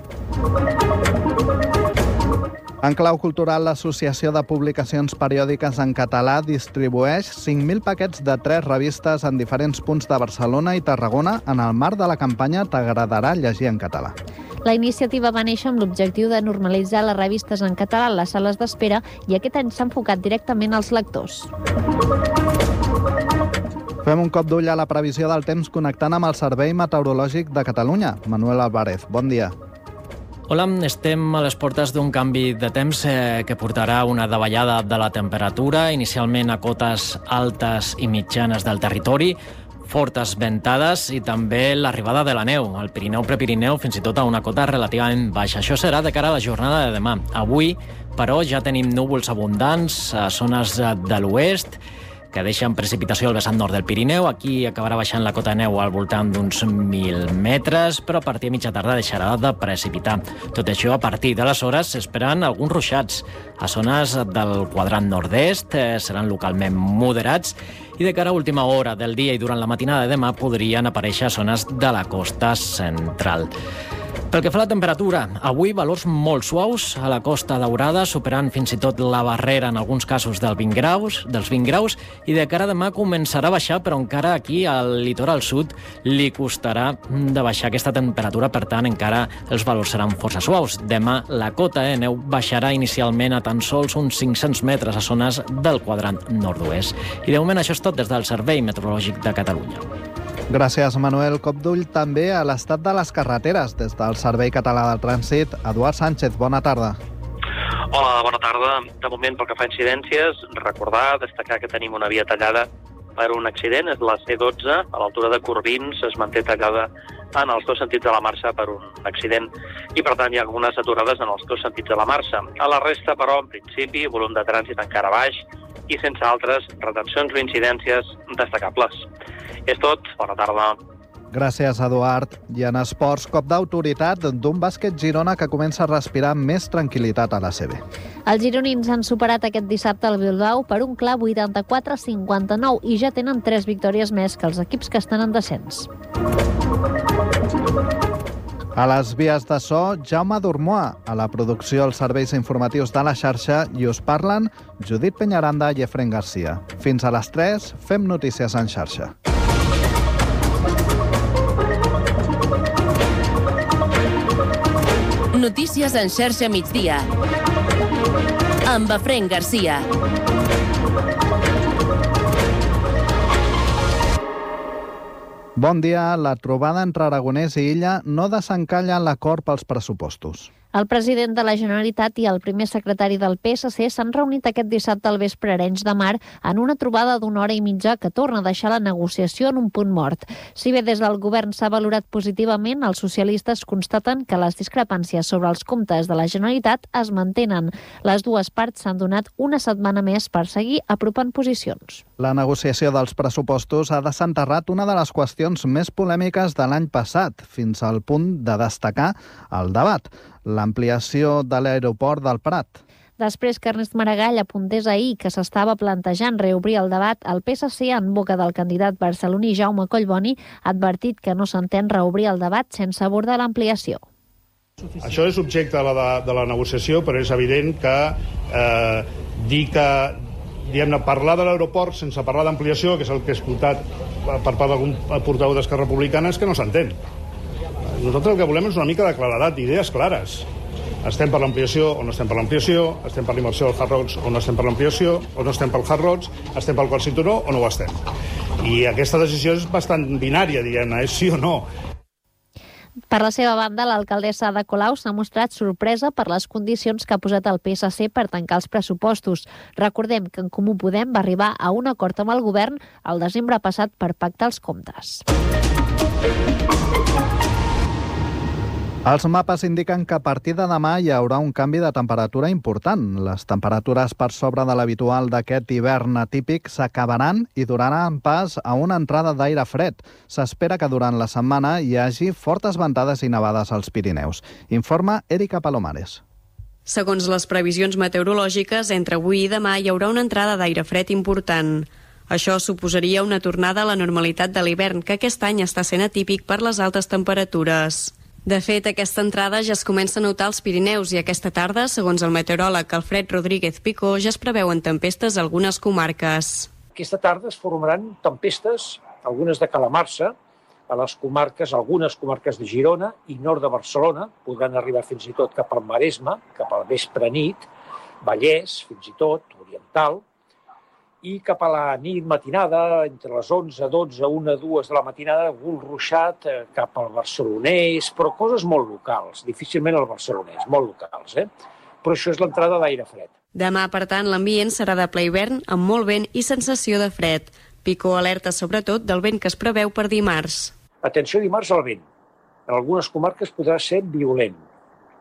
En clau cultural, l'Associació de Publicacions Periòdiques en Català distribueix 5.000 paquets de 3 revistes en diferents punts de Barcelona i Tarragona en el marc de la campanya T'agradarà llegir en català. La iniciativa va néixer amb l'objectiu de normalitzar les revistes en català a les sales d'espera i aquest any s'ha enfocat directament als lectors. Fem un cop d'ull a la previsió del temps connectant amb el Servei Meteorològic de Catalunya. Manuel Álvarez, bon dia. Hola, estem a les portes d'un canvi de temps que portarà una davallada de la temperatura, inicialment a cotes altes i mitjanes del territori, fortes ventades i també l'arribada de la neu, al Pirineu, Prepirineu, fins i tot a una cota relativament baixa. Això serà de cara a la jornada de demà. Avui, però, ja tenim núvols abundants a zones de l'oest, que deixen precipitació al vessant nord del Pirineu. Aquí acabarà baixant la cota de neu al voltant d'uns 1.000 metres, però a partir de mitja tarda deixarà de precipitar. Tot això, a partir d'aleshores, s'esperen alguns ruixats. A zones del quadrant nord-est seran localment moderats i de cara a última hora del dia i durant la matinada de demà podrien aparèixer zones de la costa central. Pel que fa a la temperatura, avui valors molt suaus a la Costa Daurada, superant fins i tot la barrera en alguns casos dels 20 graus, i de cara a demà començarà a baixar, però encara aquí al litoral sud li costarà de baixar aquesta temperatura, per tant encara els valors seran força suaus. Demà la cota de neu baixarà inicialment a tan sols uns 500 metres a zones del quadrant nord-oest. I de moment això és tot des del Servei Meteorològic de Catalunya. Gràcies, Manuel. Cop d'ull també a l'estat de les carreteres. Des del Servei Català del Trànsit, Eduard Sánchez, bona tarda. Hola, bona tarda. De moment, pel que fa a incidències, destacar que tenim una via tallada per un accident, és la C12, a l'altura de Corbins, es manté tallada en els dos sentits de la marxa per un accident i, per tant, hi ha algunes aturades en els dos sentits de la marxa. A la resta, però, en principi, volum de trànsit encara baix i sense altres retencions o incidències destacables. És tot. Bona tarda. Gràcies, Eduard. I en esports, cop d'autoritat d'un bàsquet Girona que comença a respirar més tranquil·litat a la CB. Els gironins han superat aquest dissabte el Bilbao per un clar 84-59 i ja tenen 3 victòries més que els equips que estan en descens. A les vies de so, Jaume Dormoa. A la producció, els serveis informatius de la xarxa, i us parlen Judit Peñaranda i Efraín Garcia. Fins a les 3, fem notícies en xarxa. Notícies en xarxa migdia. Amb Efraín Garcia. Bon dia. La trobada entre Aragonès i Illa no desencalla l'acord pels pressupostos. El president de la Generalitat i el primer secretari del PSC s'han reunit aquest dissabte al vespre a Arenys de Mar en una trobada d'una hora i mitja que torna a deixar la negociació en un punt mort. Si bé des del govern s'ha valorat positivament, els socialistes constaten que les discrepàncies sobre els comptes de la Generalitat es mantenen. Les dues parts s'han donat una setmana més per seguir apropant posicions. La negociació dels pressupostos ha desenterrat una de les qüestions més polèmiques de l'any passat, fins al punt de destacar el debat, l'ampliació de l'aeroport del Prat. Després que Ernest Maragall apuntés ahir que s'estava plantejant reobrir el debat, el PSC, en boca del candidat barceloní Jaume Collboni, ha advertit que no s'entén reobrir el debat sense abordar l'ampliació. Això és objecte de la negociació, però és evident que dir que parlar de l'aeroport sense parlar d'ampliació, que és el que he escoltat per part d'algun portaveu d'Esquerra Republicana, és que no s'entén. Nosaltres el que volem és una mica de claredat, idees clares. Estem per l'ampliació o no estem per l'ampliació, estem per l'immersió del Hard Rock o no estem per l'ampliació, o no estem pel Hard Rock, estem pel quart cinturó o no ho estem. I aquesta decisió és bastant binària, diguem-ne, és sí o no. Per la seva banda, l'alcaldessa Ada Colau s'ha mostrat sorpresa per les condicions que ha posat el PSC per tancar els pressupostos. Recordem que en Comú Podem va arribar a un acord amb el govern el desembre passat per pactar els comptes. Els mapes indiquen que a partir de demà hi haurà un canvi de temperatura important. Les temperatures per sobre de l'habitual d'aquest hivern atípic s'acabaran i donaran pas a una entrada d'aire fred. S'espera que durant la setmana hi hagi fortes ventades i nevades als Pirineus. Informa Erika Palomares. Segons les previsions meteorològiques, entre avui i demà hi haurà una entrada d'aire fred important. Això suposaria una tornada a la normalitat de l'hivern, que aquest any està sent atípic per les altes temperatures. De fet, aquesta entrada ja es comença a notar als Pirineus i aquesta tarda, segons el meteoròleg Alfred Rodríguez Picó, ja es preveuen tempestes a algunes comarques. Aquesta tarda es formaran tempestes, algunes de calamarsa, a les comarques, algunes comarques de Girona i nord de Barcelona, podran arribar fins i tot cap al Maresme, cap al vespre nit, Vallès, fins i tot, Oriental, i cap a la nit matinada, entre les 11, 12, 1, 2 de la matinada, algun ruixat cap al barcelonès, però coses molt locals, difícilment al barcelonès, molt locals, Però això és l'entrada d'aire fred. Demà, per tant, l'ambient serà de ple hivern, amb molt vent i sensació de fred. Picó alerta sobretot del vent que es preveu per dimarts. Atenció dimarts al vent. En algunes comarques podrà ser violent.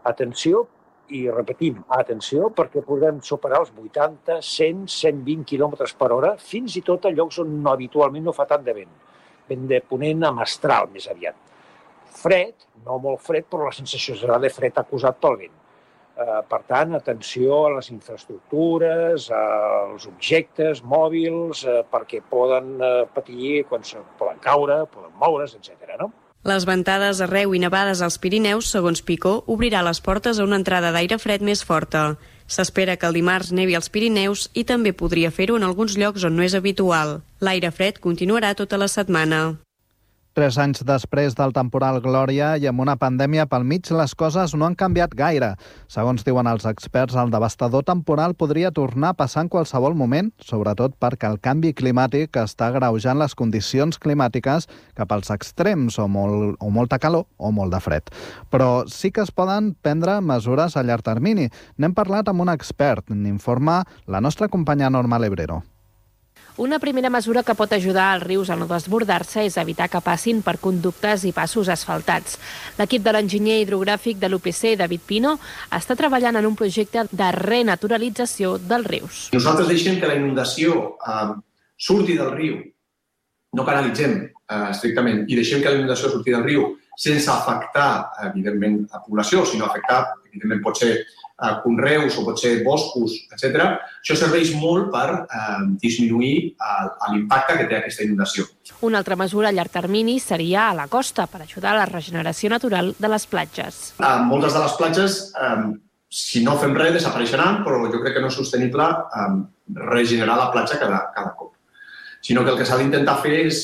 Atenció, i repetim, atenció, perquè podrem superar els 80, 100, 120 km per hora, fins i tot a llocs on habitualment no fa tant de vent. Vent de ponent a mestral, més aviat. Fred, no molt fred, però la sensació serà de fred acusat pel vent. Per tant, atenció a les infraestructures, als objectes mòbils, perquè poden patir, quan poden caure, poden moure's, etc. no? Les ventades arreu i nevades als Pirineus, segons Picó, obrirà les portes a una entrada d'aire fred més forta. S'espera que el dimarts nevi als Pirineus i també podria fer-ho en alguns llocs on no és habitual. L'aire fred continuarà tota la setmana. 3 anys després del temporal Glòria i amb una pandèmia pel mig, les coses no han canviat gaire. Segons diuen els experts, el devastador temporal podria tornar a passar en qualsevol moment, sobretot perquè el canvi climàtic està agreujant les condicions climàtiques cap als extrems, o molta calor o molt de fred. Però sí que es poden prendre mesures a llarg termini. N'hem parlat amb un expert, n'informa la nostra companya Norma Lebrero. Una primera mesura que pot ajudar als rius a no desbordar-se és evitar que passin per conductes i passos asfaltats. L'equip de l'enginyer hidrogràfic de l'UPC, David Pino, està treballant en un projecte de renaturalització dels rius. Nosaltres deixem que la inundació surti del riu, no canalitzem estrictament, i deixem que la inundació surti del riu sense afectar, evidentment, a població, sinó afectar, evidentment, pot ser conreus o pot ser boscos, etc. Això serveix molt per disminuir l'impacte que té aquesta inundació. Una altra mesura a llarg termini seria a la costa, per ajudar a la regeneració natural de les platges. Moltes de les platges, si no fem res, desapareixeran, però jo crec que no és sostenible regenerar la platja cada cop. Sinó que el que s'ha d'intentar fer és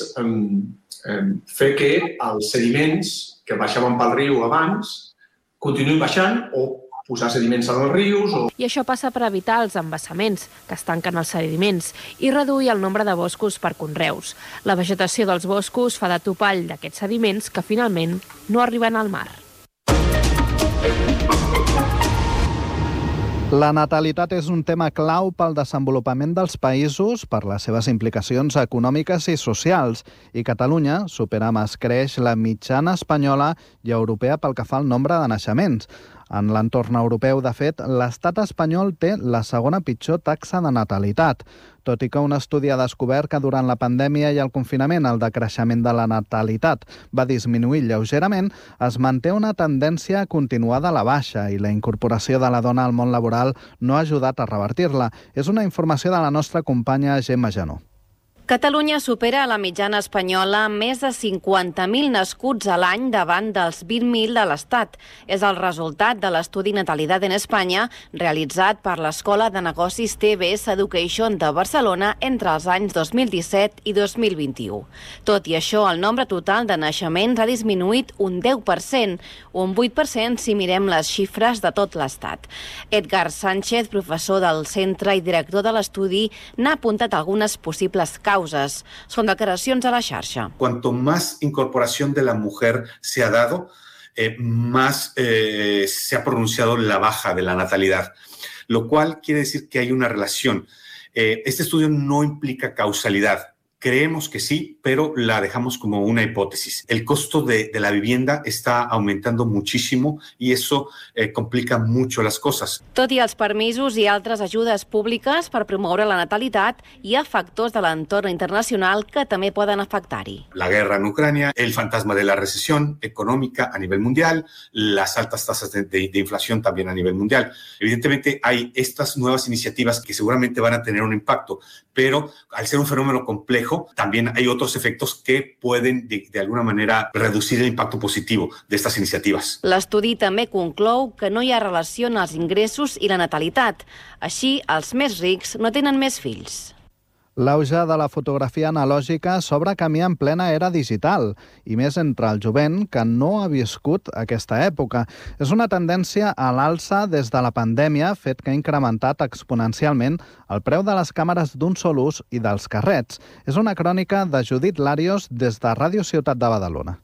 fer que els sediments que baixaven pel riu abans continuïn baixant o posar sediments als rius. I això passa per evitar els embassaments, que es tanquen els sediments, i reduir el nombre de boscos per conreus. La vegetació dels boscos fa de topall d'aquests sediments que finalment no arriben al mar. La natalitat és un tema clau pel desenvolupament dels països, per les seves implicacions econòmiques i socials, i Catalunya supera amb escreix la mitjana espanyola i europea pel que fa al nombre de naixements. En l'entorn europeu, de fet, l'estat espanyol té la segona pitjor taxa de natalitat, tot i que un estudi ha descobert que durant la pandèmia i el confinament el decreixement de la natalitat va disminuir lleugerament, es manté una tendència continuada a la baixa i la incorporació de la dona al món laboral no ha ajudat a revertir-la. És una informació de la nostra companya Gemma Janó. Catalunya supera la mitjana espanyola amb més de 50.000 nascuts a l'any davant dels 20.000 de l'Estat. És el resultat de l'estudi Natalidad en Espanya realitzat per l'Escola de Negocis TBS Education de Barcelona entre els anys 2017 i 2021. Tot i això, el nombre total de naixements ha disminuït un 10%, un 8% si mirem les xifres de tot l'Estat. Edgar Sánchez, professor del centre i director de l'estudi, n'ha apuntat algunes possibles causes. Son declaracions a la xarxa. Cuanto más incorporación de la mujer se ha dado, más se ha pronunciado la baja de la natalidad, lo cual quiere decir que hay una relación. Este estudio no implica causalidad. Creemos que sí, pero la dejamos como una hipótesis. El costo de la vivienda está aumentando muchísimo y eso complica mucho las cosas. Tot i els permisos i altres ajudes públiques per promoure la natalitat, hi ha factors de l'entorn internacional que també poden afectar-hi. La guerra en Ucrania, el fantasma de la recesión económica a nivel mundial, las altas tasas de inflación también a nivel mundial. Evidentemente hay estas nuevas iniciativas que seguramente van a tener un impacto, pero al ser un fenómeno complejo, también hay otros efectos que pueden, de alguna manera, reducir el impacto positivo de estas iniciativas. L'estudi també conclou que no hi ha relació en els ingressos i la natalitat. Així, els més rics no tenen més fills. L'auge de la fotografia analògica s'obre camí en plena era digital, i més entre el jovent que no ha viscut aquesta època. És una tendència a l'alça des de la pandèmia, fet que ha incrementat exponencialment el preu de les càmeres d'un sol ús i dels carrets. És una crònica de Judit Larios des de Ràdio Ciutat de Badalona.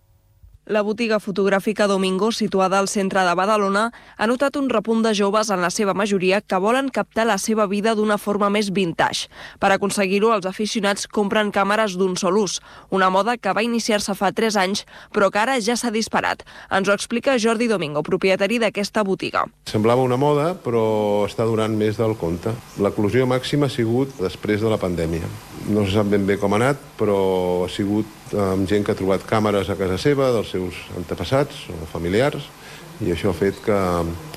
La botiga fotogràfica Domingo, situada al centre de Badalona, ha notat un repunt de joves, en la seva majoria, que volen captar la seva vida d'una forma més vintage. Per aconseguir-ho, els aficionats compren càmeres d'un sol ús, una moda que va iniciar-se fa 3 anys, però que ara ja s'ha disparat. Ens ho explica Jordi Domingo, propietari d'aquesta botiga. Semblava una moda, però està durant més del compte. L'eclosió màxima ha sigut després de la pandèmia. No se sap ben bé com ha anat, però ha sigut amb gent que ha trobat càmeres a casa seva, dels seus antepassats o familiars, i això ha fet que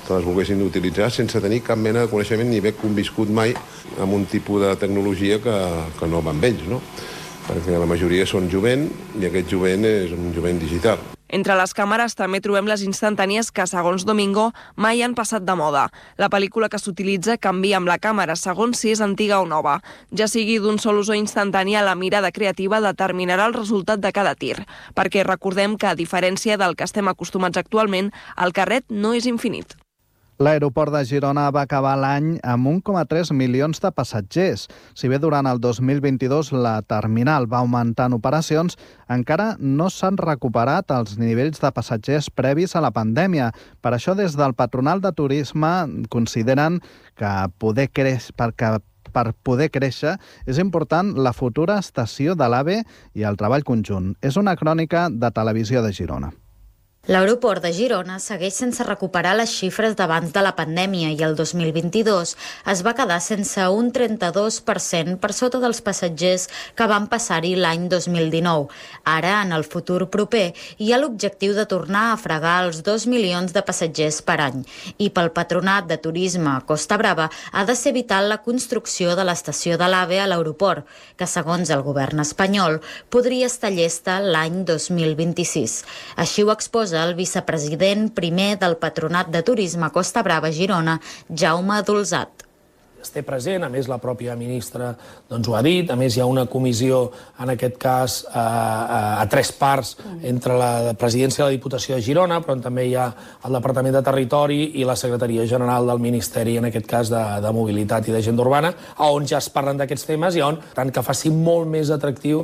les volguessin utilitzar sense tenir cap mena de coneixement ni haver conviscut mai amb un tipus de tecnologia que no va amb ells, no? Perquè la majoria són jovent i aquest jovent és un jovent digital. Entre les càmeres també trobem les instantànies que, segons Domingo, mai han passat de moda. La pel·lícula que s'utilitza canvia amb la càmera, segons si és antiga o nova. Ja sigui d'un sol ús o instantània, la mirada creativa determinarà el resultat de cada tir. Perquè recordem que, a diferència del que estem acostumats actualment, el carret no és infinit. L'aeroport de Girona va acabar l'any amb 1,3 milions de passatgers. Si bé durant el 2022 la terminal va augmentar en operacions, encara no s'han recuperat els nivells de passatgers previs a la pandèmia. Per això, des del Patronal de Turisme consideren que per poder créixer és important la futura estació de l'AVE i el treball conjunt. És una crònica de Televisió de Girona. L'aeroport de Girona segueix sense recuperar les xifres d'abans de la pandèmia i el 2022 es va quedar sense un 32% per sota dels passatgers que van passar-hi l'any 2019. Ara, en el futur proper, hi ha l'objectiu de tornar a fregar els 2 milions de passatgers per any. I pel Patronat de Turisme Costa Brava ha de ser vital la construcció de l'estació de l'AVE a l'aeroport, que segons el govern espanyol podria estar llesta l'any 2026. Així ho exposa el vicepresident primer del Patronat de Turisme Costa Brava Girona, Jaume Dolzat. Es té present, a més la pròpia ministra doncs ho ha dit, a més hi ha una comissió, en aquest cas a 3 parts, entre la presidència de la Diputació de Girona, però també hi ha el Departament de Territori i la Secretaria General del Ministeri, en aquest cas de Mobilitat i d'Agenda Urbana, on ja es parlen d'aquests temes i on, tant que faci molt més atractiu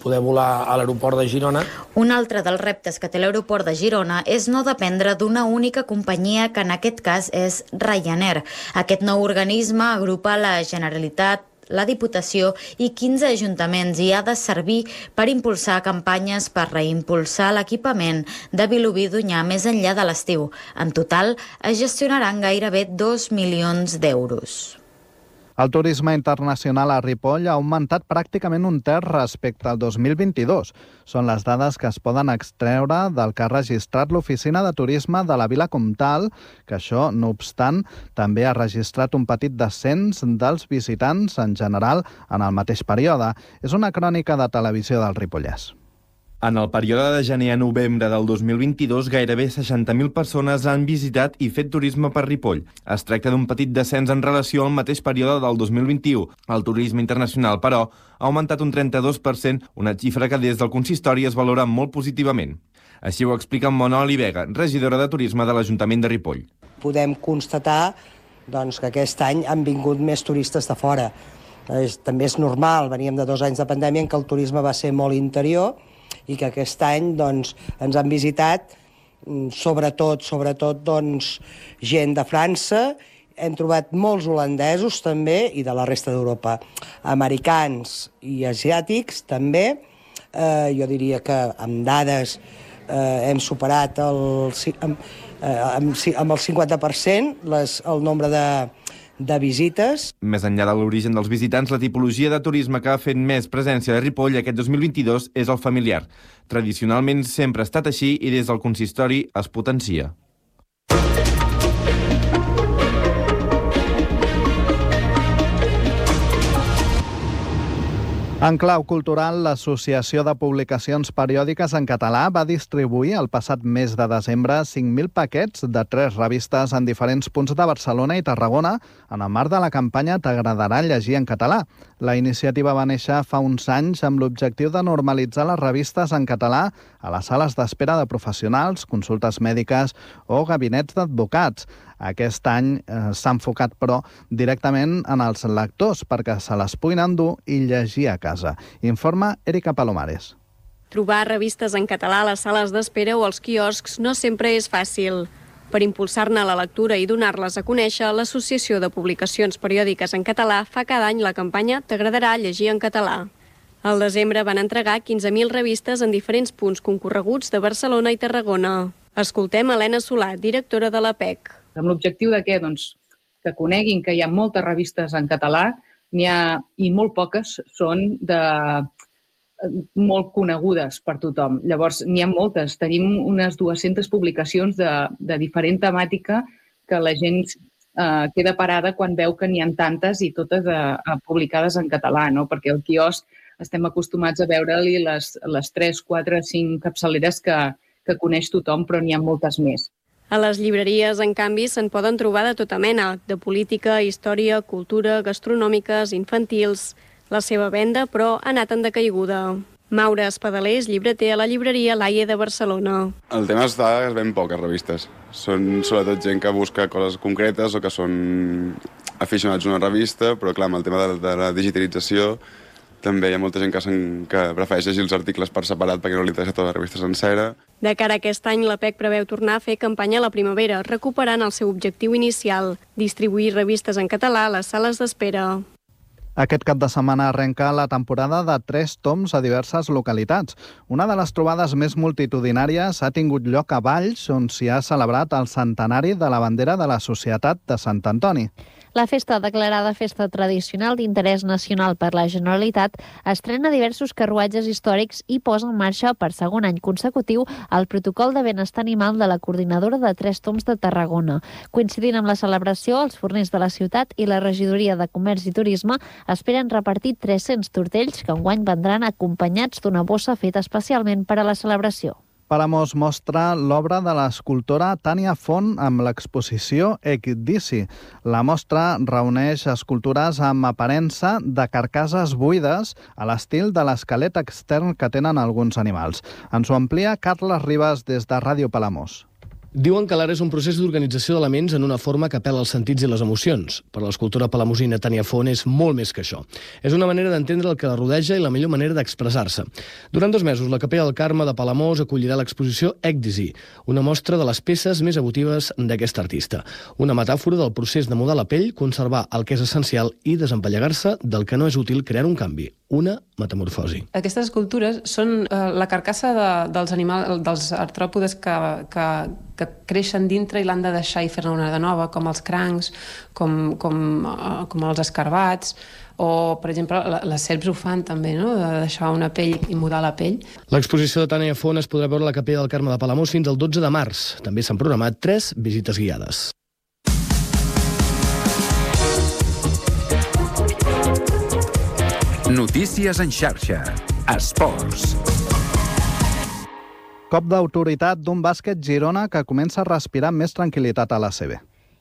poder volar a l'aeroport de Girona. Un altre dels reptes que té l'aeroport de Girona és no dependre d'una única companyia, que en aquest cas és Ryanair. Aquest nou organisme agrupa la Generalitat, la Diputació i 15 ajuntaments i ha de servir per impulsar campanyes per reimpulsar l'equipament de Vilobí d'Onyar més enllà de l'estiu. En total, es gestionaran gairebé 2 milions d'euros. El turisme internacional a Ripoll ha augmentat pràcticament un terç respecte al 2022. Són les dades que es poden extreure del que ha registrat l'Oficina de Turisme de la Vila Comtal, que això, no obstant, també ha registrat un petit descens dels visitants en general en el mateix període. És una crònica de Televisió del Ripollès. En el període de gener a novembre del 2022, gairebé 60.000 persones han visitat i fet turisme per Ripoll. Es tracta d'un petit descens en relació al mateix període del 2021. El turisme internacional, però, ha augmentat un 32%, una xifra que des del consistori es valora molt positivament. Així ho explica Monoli Vega, regidora de Turisme de l'Ajuntament de Ripoll. Podem constatar que aquest any han vingut més turistes de fora. També és normal, veníem de 2 anys de pandèmia en què el turisme va ser molt interior, i que aquest any ens han visitat sobretot gent de França. Hem trobat molts holandesos també i de la resta d'Europa. Americans i asiàtics també. Jo diria que amb dades hem superat amb el 50% el nombre de visites. Més enllà de l'origen dels visitants, la tipologia de turisme que ha fet més presència a Ripoll aquest 2022 és el familiar. Tradicionalment sempre ha estat així i des del consistori es potencia. En clau cultural, l'Associació de Publicacions Periòdiques en Català va distribuir el passat mes de desembre 5.000 paquets de 3 revistes en diferents punts de Barcelona i Tarragona en el marc de la campanya T'agradarà llegir en català. La iniciativa va néixer fa uns anys amb l'objectiu de normalitzar les revistes en català a les sales d'espera de professionals, consultes mèdiques o gabinets d'advocats. Aquest any s'ha enfocat, però, directament en els lectors perquè se les puguin endur i llegir a casa. Informa Erika Palomares. Trobar revistes en català a les sales d'espera o als quioscs no sempre és fàcil. Per impulsar-ne la lectura i donar-les a conèixer, l'Associació de Publicacions Periòdiques en Català fa cada any la campanya T'agradarà llegir en català. Al desembre van entregar 15.000 revistes en diferents punts concorreguts de Barcelona i Tarragona. Escoltem Helena Solà, directora de l'APEC. Amb l'objectiu de què? Que coneguin que hi ha moltes revistes en català, n'hi ha i molt poques són molt conegudes per tothom. Llavors, n'hi ha moltes. Tenim unes 200 publicacions de diferent temàtica que la gent queda parada quan veu que n'hi ha tantes i totes publicades en català, no? Perquè al quiosc estem acostumats a veure-li les 3, 4, 5 capçaleres que coneix tothom, però n'hi ha moltes més. A les llibreries, en canvi, se'n poden trobar de tota mena, de política, història, cultura, gastronòmiques, infantils. La seva venda, però, ha anat en decaiguda. Maura Espadaler és llibreter a la llibreria Laie de Barcelona. El tema és que es ven poques revistes. Són sobretot gent que busca coses concretes o que són aficionats a una revista, però clar, amb el tema de la digitalització també hi ha molta gent que prefereix llegir els articles per separat perquè no li interessa tota la revista sencera. De cara a aquest any, l'APEC preveu tornar a fer campanya a la primavera, recuperant el seu objectiu inicial, distribuir revistes en català a les sales d'espera. Aquest cap de setmana arrenca la temporada de 3 toms a diverses localitats. Una de les trobades més multitudinàries ha tingut lloc a Valls, on s'hi ha celebrat el centenari de la bandera de la Societat de Sant Antoni. La festa, declarada festa tradicional d'interès nacional per la Generalitat, estrena diversos carruatges històrics i posa en marxa per segon any consecutiu el protocol de benestar animal de la coordinadora de 3 toms de Tarragona. Coincidint amb la celebració, els forners de la ciutat i la regidoria de Comerç i Turisme esperen repartir 300 tortells que enguany vendran acompanyats d'una bossa feta especialment per a la celebració. Palamós mostra l'obra de l'escultora Tània Font amb l'exposició Ecdici. La mostra reuneix escultures amb aparença de carcasses buides a l'estil de l'esquelet extern que tenen alguns animals. Ens ho amplia Carles Ribas des de Ràdio Palamós. Diuen que l'art és un procés d'organització d'elements en una forma que apel·la als sentits i les emocions. Per l'escultora palamosina Tània Font és molt més que això. És una manera d'entendre el que la rodeja i la millor manera d'expressar-se. Durant 2 mesos, la Capella del Carme de Palamós acollirà l'exposició Ècdisi, una mostra de les peces més emotives d'aquest artista. Una metàfora del procés de mudar la pell, conservar el que és essencial i desempallegar-se del que no és útil, creant un canvi, una metamorfosi. Aquestes escultures són la carcassa dels animals, dels artròpodes que creixen dintre i l'han de deixar i fer-ne una de nova, com els crancs, com els escarbats, o, per exemple, les serps ho fan també, no? De deixar una pell i mudar la pell. L'exposició de Tània Font es podrà veure a la Capella del Carme de Palamós fins al 12 de març. També s'han programat 3 visites guiades. Notícies en xarxa. Esports. Cop d'autoritat d'un bàsquet Girona que comença a respirar amb més tranquil·litat a l'ACB.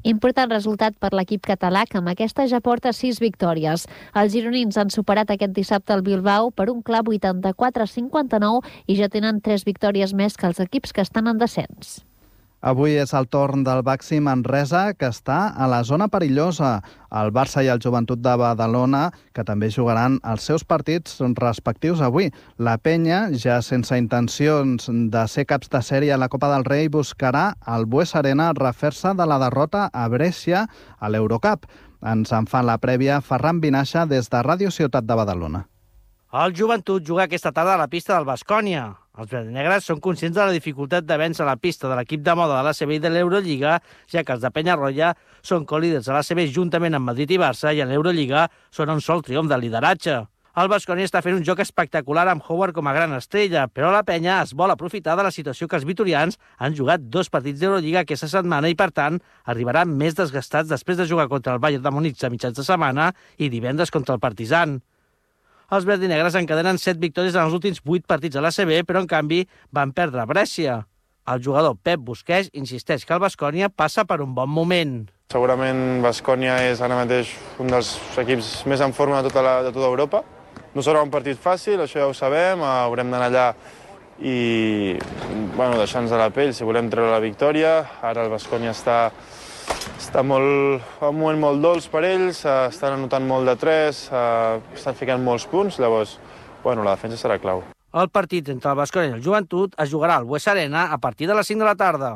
Important resultat per l'equip català, que amb aquesta ja porta 6 victòries. Els gironins han superat aquest dissabte el Bilbao per un clar 84-59 i ja tenen 3 victòries més que els equips que estan en descens. Avui és el torn del Baxi Manresa, que està a la zona perillosa. El Barça i el Joventut de Badalona, que també jugaran els seus partits respectius avui. La Penya, ja sense intencions de ser caps de sèrie a la Copa del Rei, buscarà al Bues Arena refer-se de la derrota a Brescia a l'Eurocup. Ens en fa la prèvia Ferran Vinaixa des de Ràdio Ciutat de Badalona. El Joventut juga aquesta tarda a la pista del Baskonia. Els verdinegres són conscients de la dificultat de vèncer la pista de l'equip de moda de l'ACB i de l'Eurolliga, ja que els de Penyarroia són colíders de l'ACB juntament amb Madrid i Barça i a l'Eurolliga són un sol triomf de lideratge. El Baskonia està fent un joc espectacular amb Howard com a gran estrella, però la penya es vol aprofitar de la situació que els vitorians han jugat 2 partits d'Eurolliga aquesta setmana i, per tant, arribaran més desgastats després de jugar contra el Bayern de Múnich a mitjans de setmana i divendres contra el Partizan. Els verdinegres encadenen 7 victòries en els últims 8 partits a l'ACB, però en canvi van perdre a Brescia. El jugador Pep Busquets insisteix que el Baskonia passa per un bon moment. Segurament Baskonia és ara mateix un dels equips més en forma de tota Europa. No serà un partit fàcil, això ja ho sabem, haurem d'anar allà i deixar-nos de la pell si volem treure la victòria. Ara el Baskonia està en un moment molt dolç per ells, estan anotant molt de 3, estan ficant molts punts, llavors, la defensa serà clau. El partit entre el Baskonia i el Joventut es jugarà al Bues Arena a partir de les 5 de la tarda.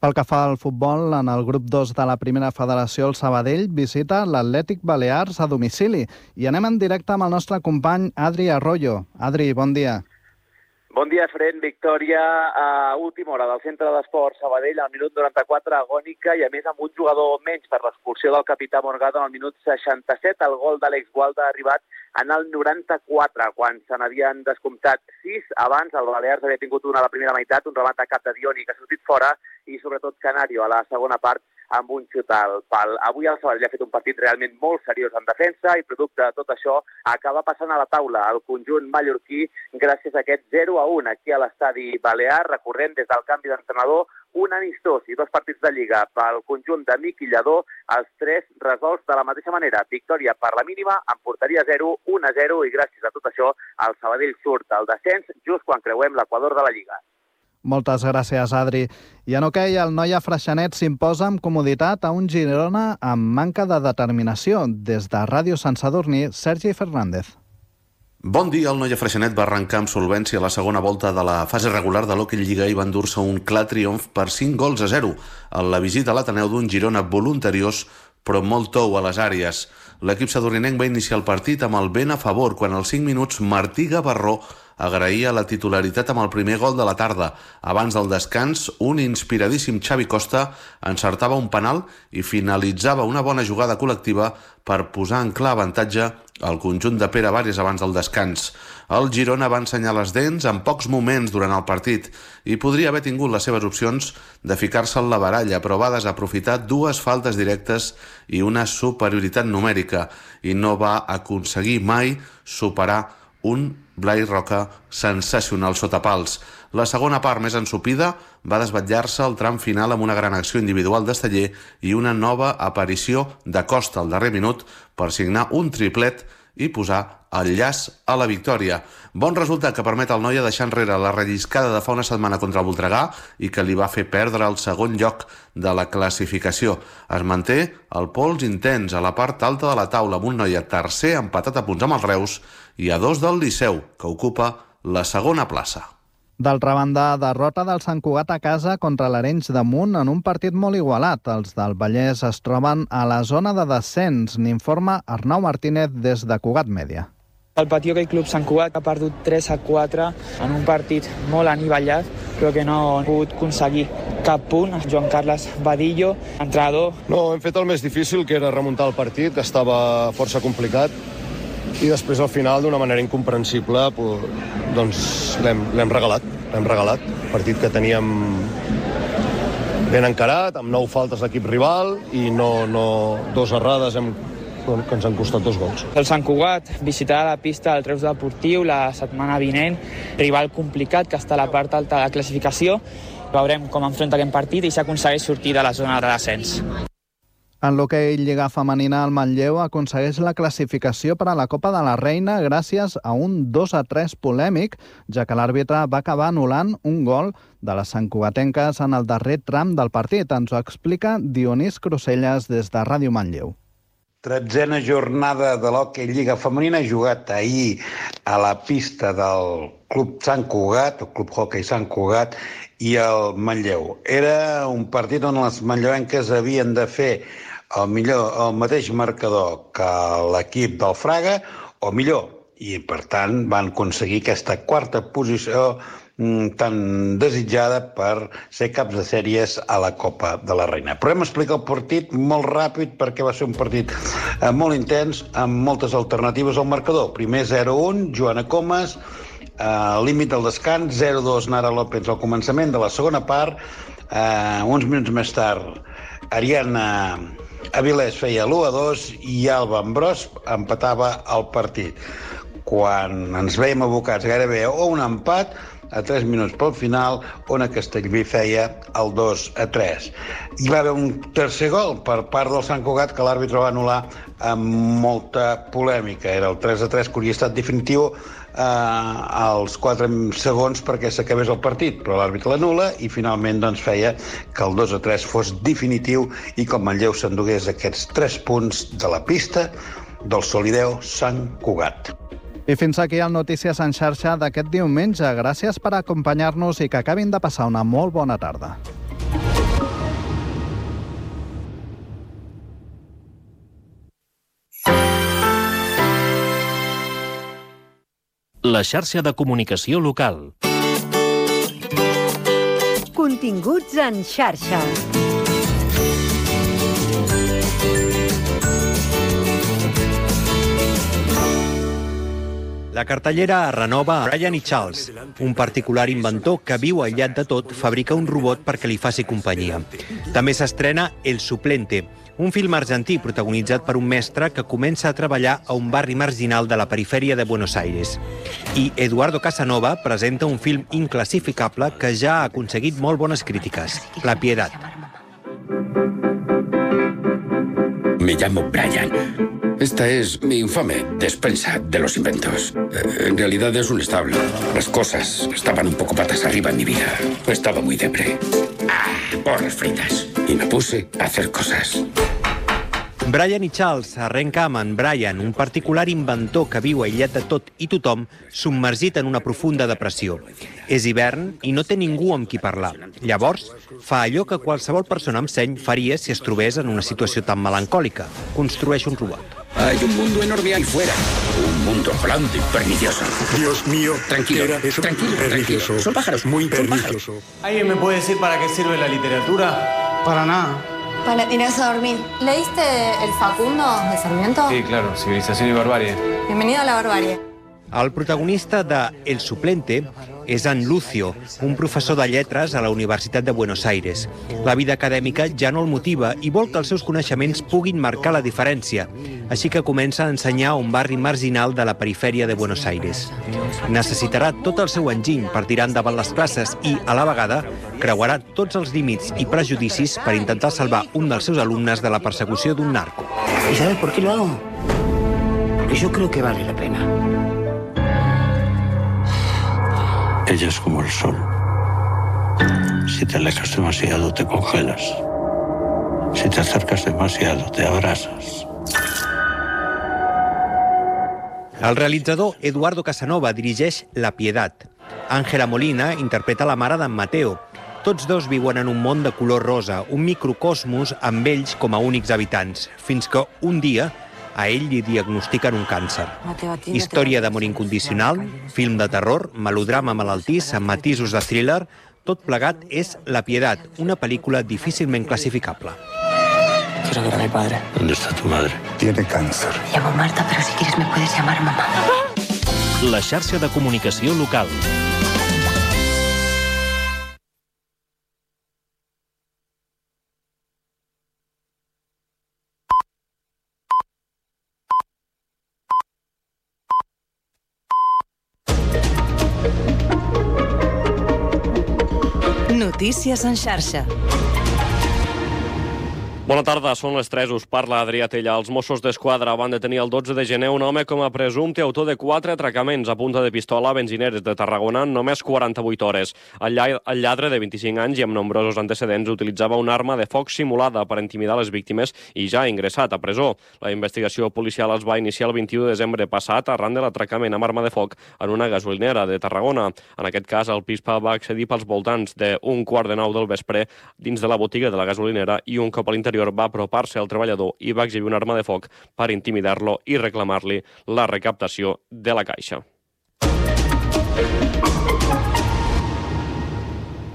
Pel que fa al futbol, en el grup 2 de la primera federació, el Sabadell visita l'Atlètic Balears a domicili. I anem en directe amb el nostre company Adri Arroyo. Adri, bon dia. Bon dia, Fren. Victòria a última hora del Centre d'Esports Sabadell al minut 94, agònica, i a més amb un jugador menys per l'expulsió del capità Morgado al minut 67. El gol d'Àlex Gualda ha arribat en el 94, quan se n'havien descomptat 6. Abans el Balears havia tingut una a la primera meitat, un remat a cap de Dioni que ha sortit fora, i sobretot Canario a la segona part amb un xut al pal. Avui el Sabadell ha fet un partit realment molt seriós en defensa i producte de tot això acaba passant a la taula el conjunt mallorquí gràcies a aquest 0-1 aquí a l'estadi Balear, recorrent des del canvi d'entrenador un amistós i 2 partits de Lliga pel conjunt de Miqui Lladó, els 3 resolts de la mateixa manera. Victòria per la mínima, en porteria 0, 1-0, i gràcies a tot això el Sabadell surt al descens just quan creuem l'equador de la Lliga. Moltes gràcies, Adri. I en hoquei, el Noia Freixenet s'imposa amb comoditat a un Girona amb manca de determinació. Des de Ràdio Sant Sadurní, Sergi Fernández. Bon dia, el Noia Freixenet va arrencar amb solvència a la segona volta de la fase regular de l'Hockey Lliga i va endur-se un clar triomf per 5-0 en la visita a l'Ateneu d'un Girona voluntariós però molt tou a les àrees. L'equip sadurninenc va iniciar el partit amb el vent a favor quan als 5 minuts Martí Gavarró agraïa la titularitat amb el primer gol de la tarda. Abans del descans, un inspiradíssim Xavi Costa encertava un penal i finalitzava una bona jugada col·lectiva per posar en clar avantatge al conjunt de Pere Vares abans del descans. El Girona va ensenyar les dents en pocs moments durant el partit i podria haver tingut les seves opcions de ficar-se en la baralla, però va desaprofitar 2 faltes directes i una superioritat numèrica i no va aconseguir mai superar un Blai Roca sensacional sota pals. La segona part, més ensopida, va desvetllar-se al tram final amb una gran acció individual d'Esteller i una nova aparició de Costa al darrer minut per signar un triplet i posar el llaç a la victòria. Bon resultat que permet al Noia deixar enrere la relliscada de fa una setmana contra el Voltregà i que li va fer perdre el segon lloc de la classificació. Es manté el pols intens a la part alta de la taula amb un Noia tercer empatat a punts amb el Reus i a 2 del Liceu, que ocupa la segona plaça. D'altra banda, derrota del Sant Cugat a casa contra l'Arenys de Munt en un partit molt igualat. Els del Vallès es troben a la zona de descens, n'informa Arnau Martínez des de Cugat Mèdia. El Patí Hoquei Club Sant Cugat ha perdut 3-4 en un partit molt anivellat, però que no ha pogut aconseguir cap punt. Joan Carles Badillo, entrenador. No, hem fet el més difícil, que era remuntar el partit, que estava força complicat, i després al final, d'una manera incomprensible, doncs l'hem regalat. L'hem regalat. Partit que teníem ben encarat, amb 9 faltes l'equip rival i dos errades que ens han costat 2 gols. El Sant Cugat visitarà la pista del Reus Deportiu la setmana vinent, rival complicat que està a la part alta de la classificació. Veurem com enfronta aquest partit i s'aconsegueix sortir de la zona de descens. En l'hoquei Lliga Femenina, el Manlleu aconsegueix la classificació per a la Copa de la Reina gràcies a un 2-3 polèmic, ja que l'àrbitre va acabar anul·lant un gol de les santcugatenques en el darrer tram del partit. Ens ho explica Dionís Cruselles des de Ràdio Manlleu. 13a jornada de l'hoquei Lliga Femenina, jugat ahir a la pista del Club Sant Cugat, el Club Hoquei Sant Cugat, i el Manlleu. Era un partit on les manlleuenques havien de fer el mateix marcador que l'equip del Fraga, o millor, i per tant van aconseguir aquesta quarta posició tan desitjada per ser caps de sèries a la Copa de la Reina. Però hem explicat el partit molt ràpid perquè va ser un partit molt intens, amb moltes alternatives al marcador. Primer 0-1, Joana Comas, límit del descans, 0-2 Nara López al començament de la segona part. Uns minuts més tard, Ariana Avilés feia l'1-2 i Alba Ambrós empatava el partit. Quan ens veiem abocats gairebé a un empat, a 3 minuts pel final, Ona Castellví feia el 2-3. Hi va haver un tercer gol per part del Sant Cugat que l'àrbitre va anul·lar amb molta polèmica. Era el 3-3 que hauria estat definitiu als 4 segons perquè s'acabés el partit, però l'àrbitre l'anul·la i finalment doncs, feia que el 2-3 fos definitiu i que el Manlleu s'endugués aquests 3 punts de la pista del Solideo Sant Cugat. I fins aquí el Notícies en xarxa d'aquest diumenge. Gràcies per acompanyar-nos i que acabin de passar una molt bona tarda. La xarxa de comunicació local. Continguts en xarxa. La cartellera es renova a Brian i Charles, un particular inventor que viu aïllat de tot, fabrica un robot perquè li faci companyia. També s'estrena El Suplente, un film argentí protagonitzat per un mestre que comença a treballar a un barri marginal de la perifèria de Buenos Aires. I Eduardo Casanova presenta un film inclassificable que ja ha aconseguit molt bones crítiques, La Piedad. Me llamo Brian. Esta es mi infame despensa de los inventos. En realidad es un establo. Las cosas estaban un poco patas arriba en mi vida. Estaba muy depre. Porras fritas. Y me puse a hacer cosas. Brian i Charles arrenca amb en Brian, un particular inventor que viu aïllat de tot i tothom, submergit en una profunda depressió. És hivern i no té ningú amb qui parlar. Llavors, fa allò que qualsevol persona amb seny faria si es trobés en una situació tan melancòlica. Construeix un robot. Hay un mundo enorme ahí fuera. Un mundo grande y pernicioso. Dios mío. Tranquilo, tranquilo. Son pájaros. Muy pernicioso. ¿Alguien me puede decir para qué sirve la literatura? Para nada. Para irse a dormir. ¿Leíste El Facundo de Sarmiento? Sí, claro. Civilización y barbarie. Bienvenido a la barbarie. El protagonista de El Suplente és en Lucio, un professor de lletres a la Universitat de Buenos Aires. La vida acadèmica ja no el motiva i vol que els seus coneixements puguin marcar la diferència, així que comença a ensenyar a un barri marginal de la perifèria de Buenos Aires. Necessitarà tot el seu enginy per tirar endavant les classes i, a la vegada, creuarà tots els límits i prejudicis per intentar salvar un dels seus alumnes de la persecució d'un narco. ¿Y sabes por qué lo hago? y yo creo que vale la pena. Ella es como el sol. Si te alejas demasiado, te congelas. Si te acercas demasiado, te abrasas. El realitzador Eduardo Casanova dirigeix La Pietat. Àngela Molina interpreta la mare d'en Mateo. Tots dos viuen en un món de color rosa, un microcosmos amb ells com a únics habitants, fins que un dia a ell li diagnostiquen un càncer. Història d'amor incondicional, film de terror, melodrama malaltís amb matisos de thriller, tot plegat és La Pietat, una pel·lícula difícilment classificable. Quiero ver a mi padre. ¿Dónde está tu madre? Tiene cáncer. Me llamo Marta, pero si quieres me puedes llamar mamá. La xarxa de comunicació local. Notícies en xarxa. Bona tarda, són les 3, us parla Adrià Tella. Els Mossos d'Esquadra van detenir el 12 de gener un home com a presumpte autor de 4 atracaments a punta de pistola a benzineres de Tarragona en només 48 hores. El lladre de 25 anys i amb nombrosos antecedents utilitzava una arma de foc simulada per intimidar les víctimes i ja ha ingressat a presó. La investigació policial es va iniciar el 21 de desembre passat arran de l'atracament amb arma de foc en una gasolinera de Tarragona. En aquest cas, el pispa va accedir pels voltants d'un 8:45 del vespre dins de la botiga de la gasolinera i un cop a l'interior va apropar-se al treballador i va exhibir una arma de foc per intimidar-lo i reclamar-li la recaptació de la caixa.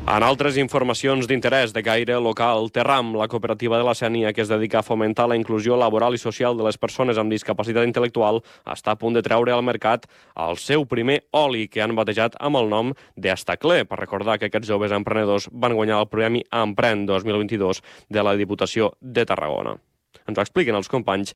En altres informacions d'interès de caire local, Terram, la cooperativa de la Sénia que es dedica a fomentar la inclusió laboral i social de les persones amb discapacitat intel·lectual, està a punt de treure al mercat el seu primer oli que han batejat amb el nom d'Estacler, per recordar que aquests joves emprenedors van guanyar el Premi Emprèn 2022 de la Diputació de Tarragona. Ens ho expliquen els companys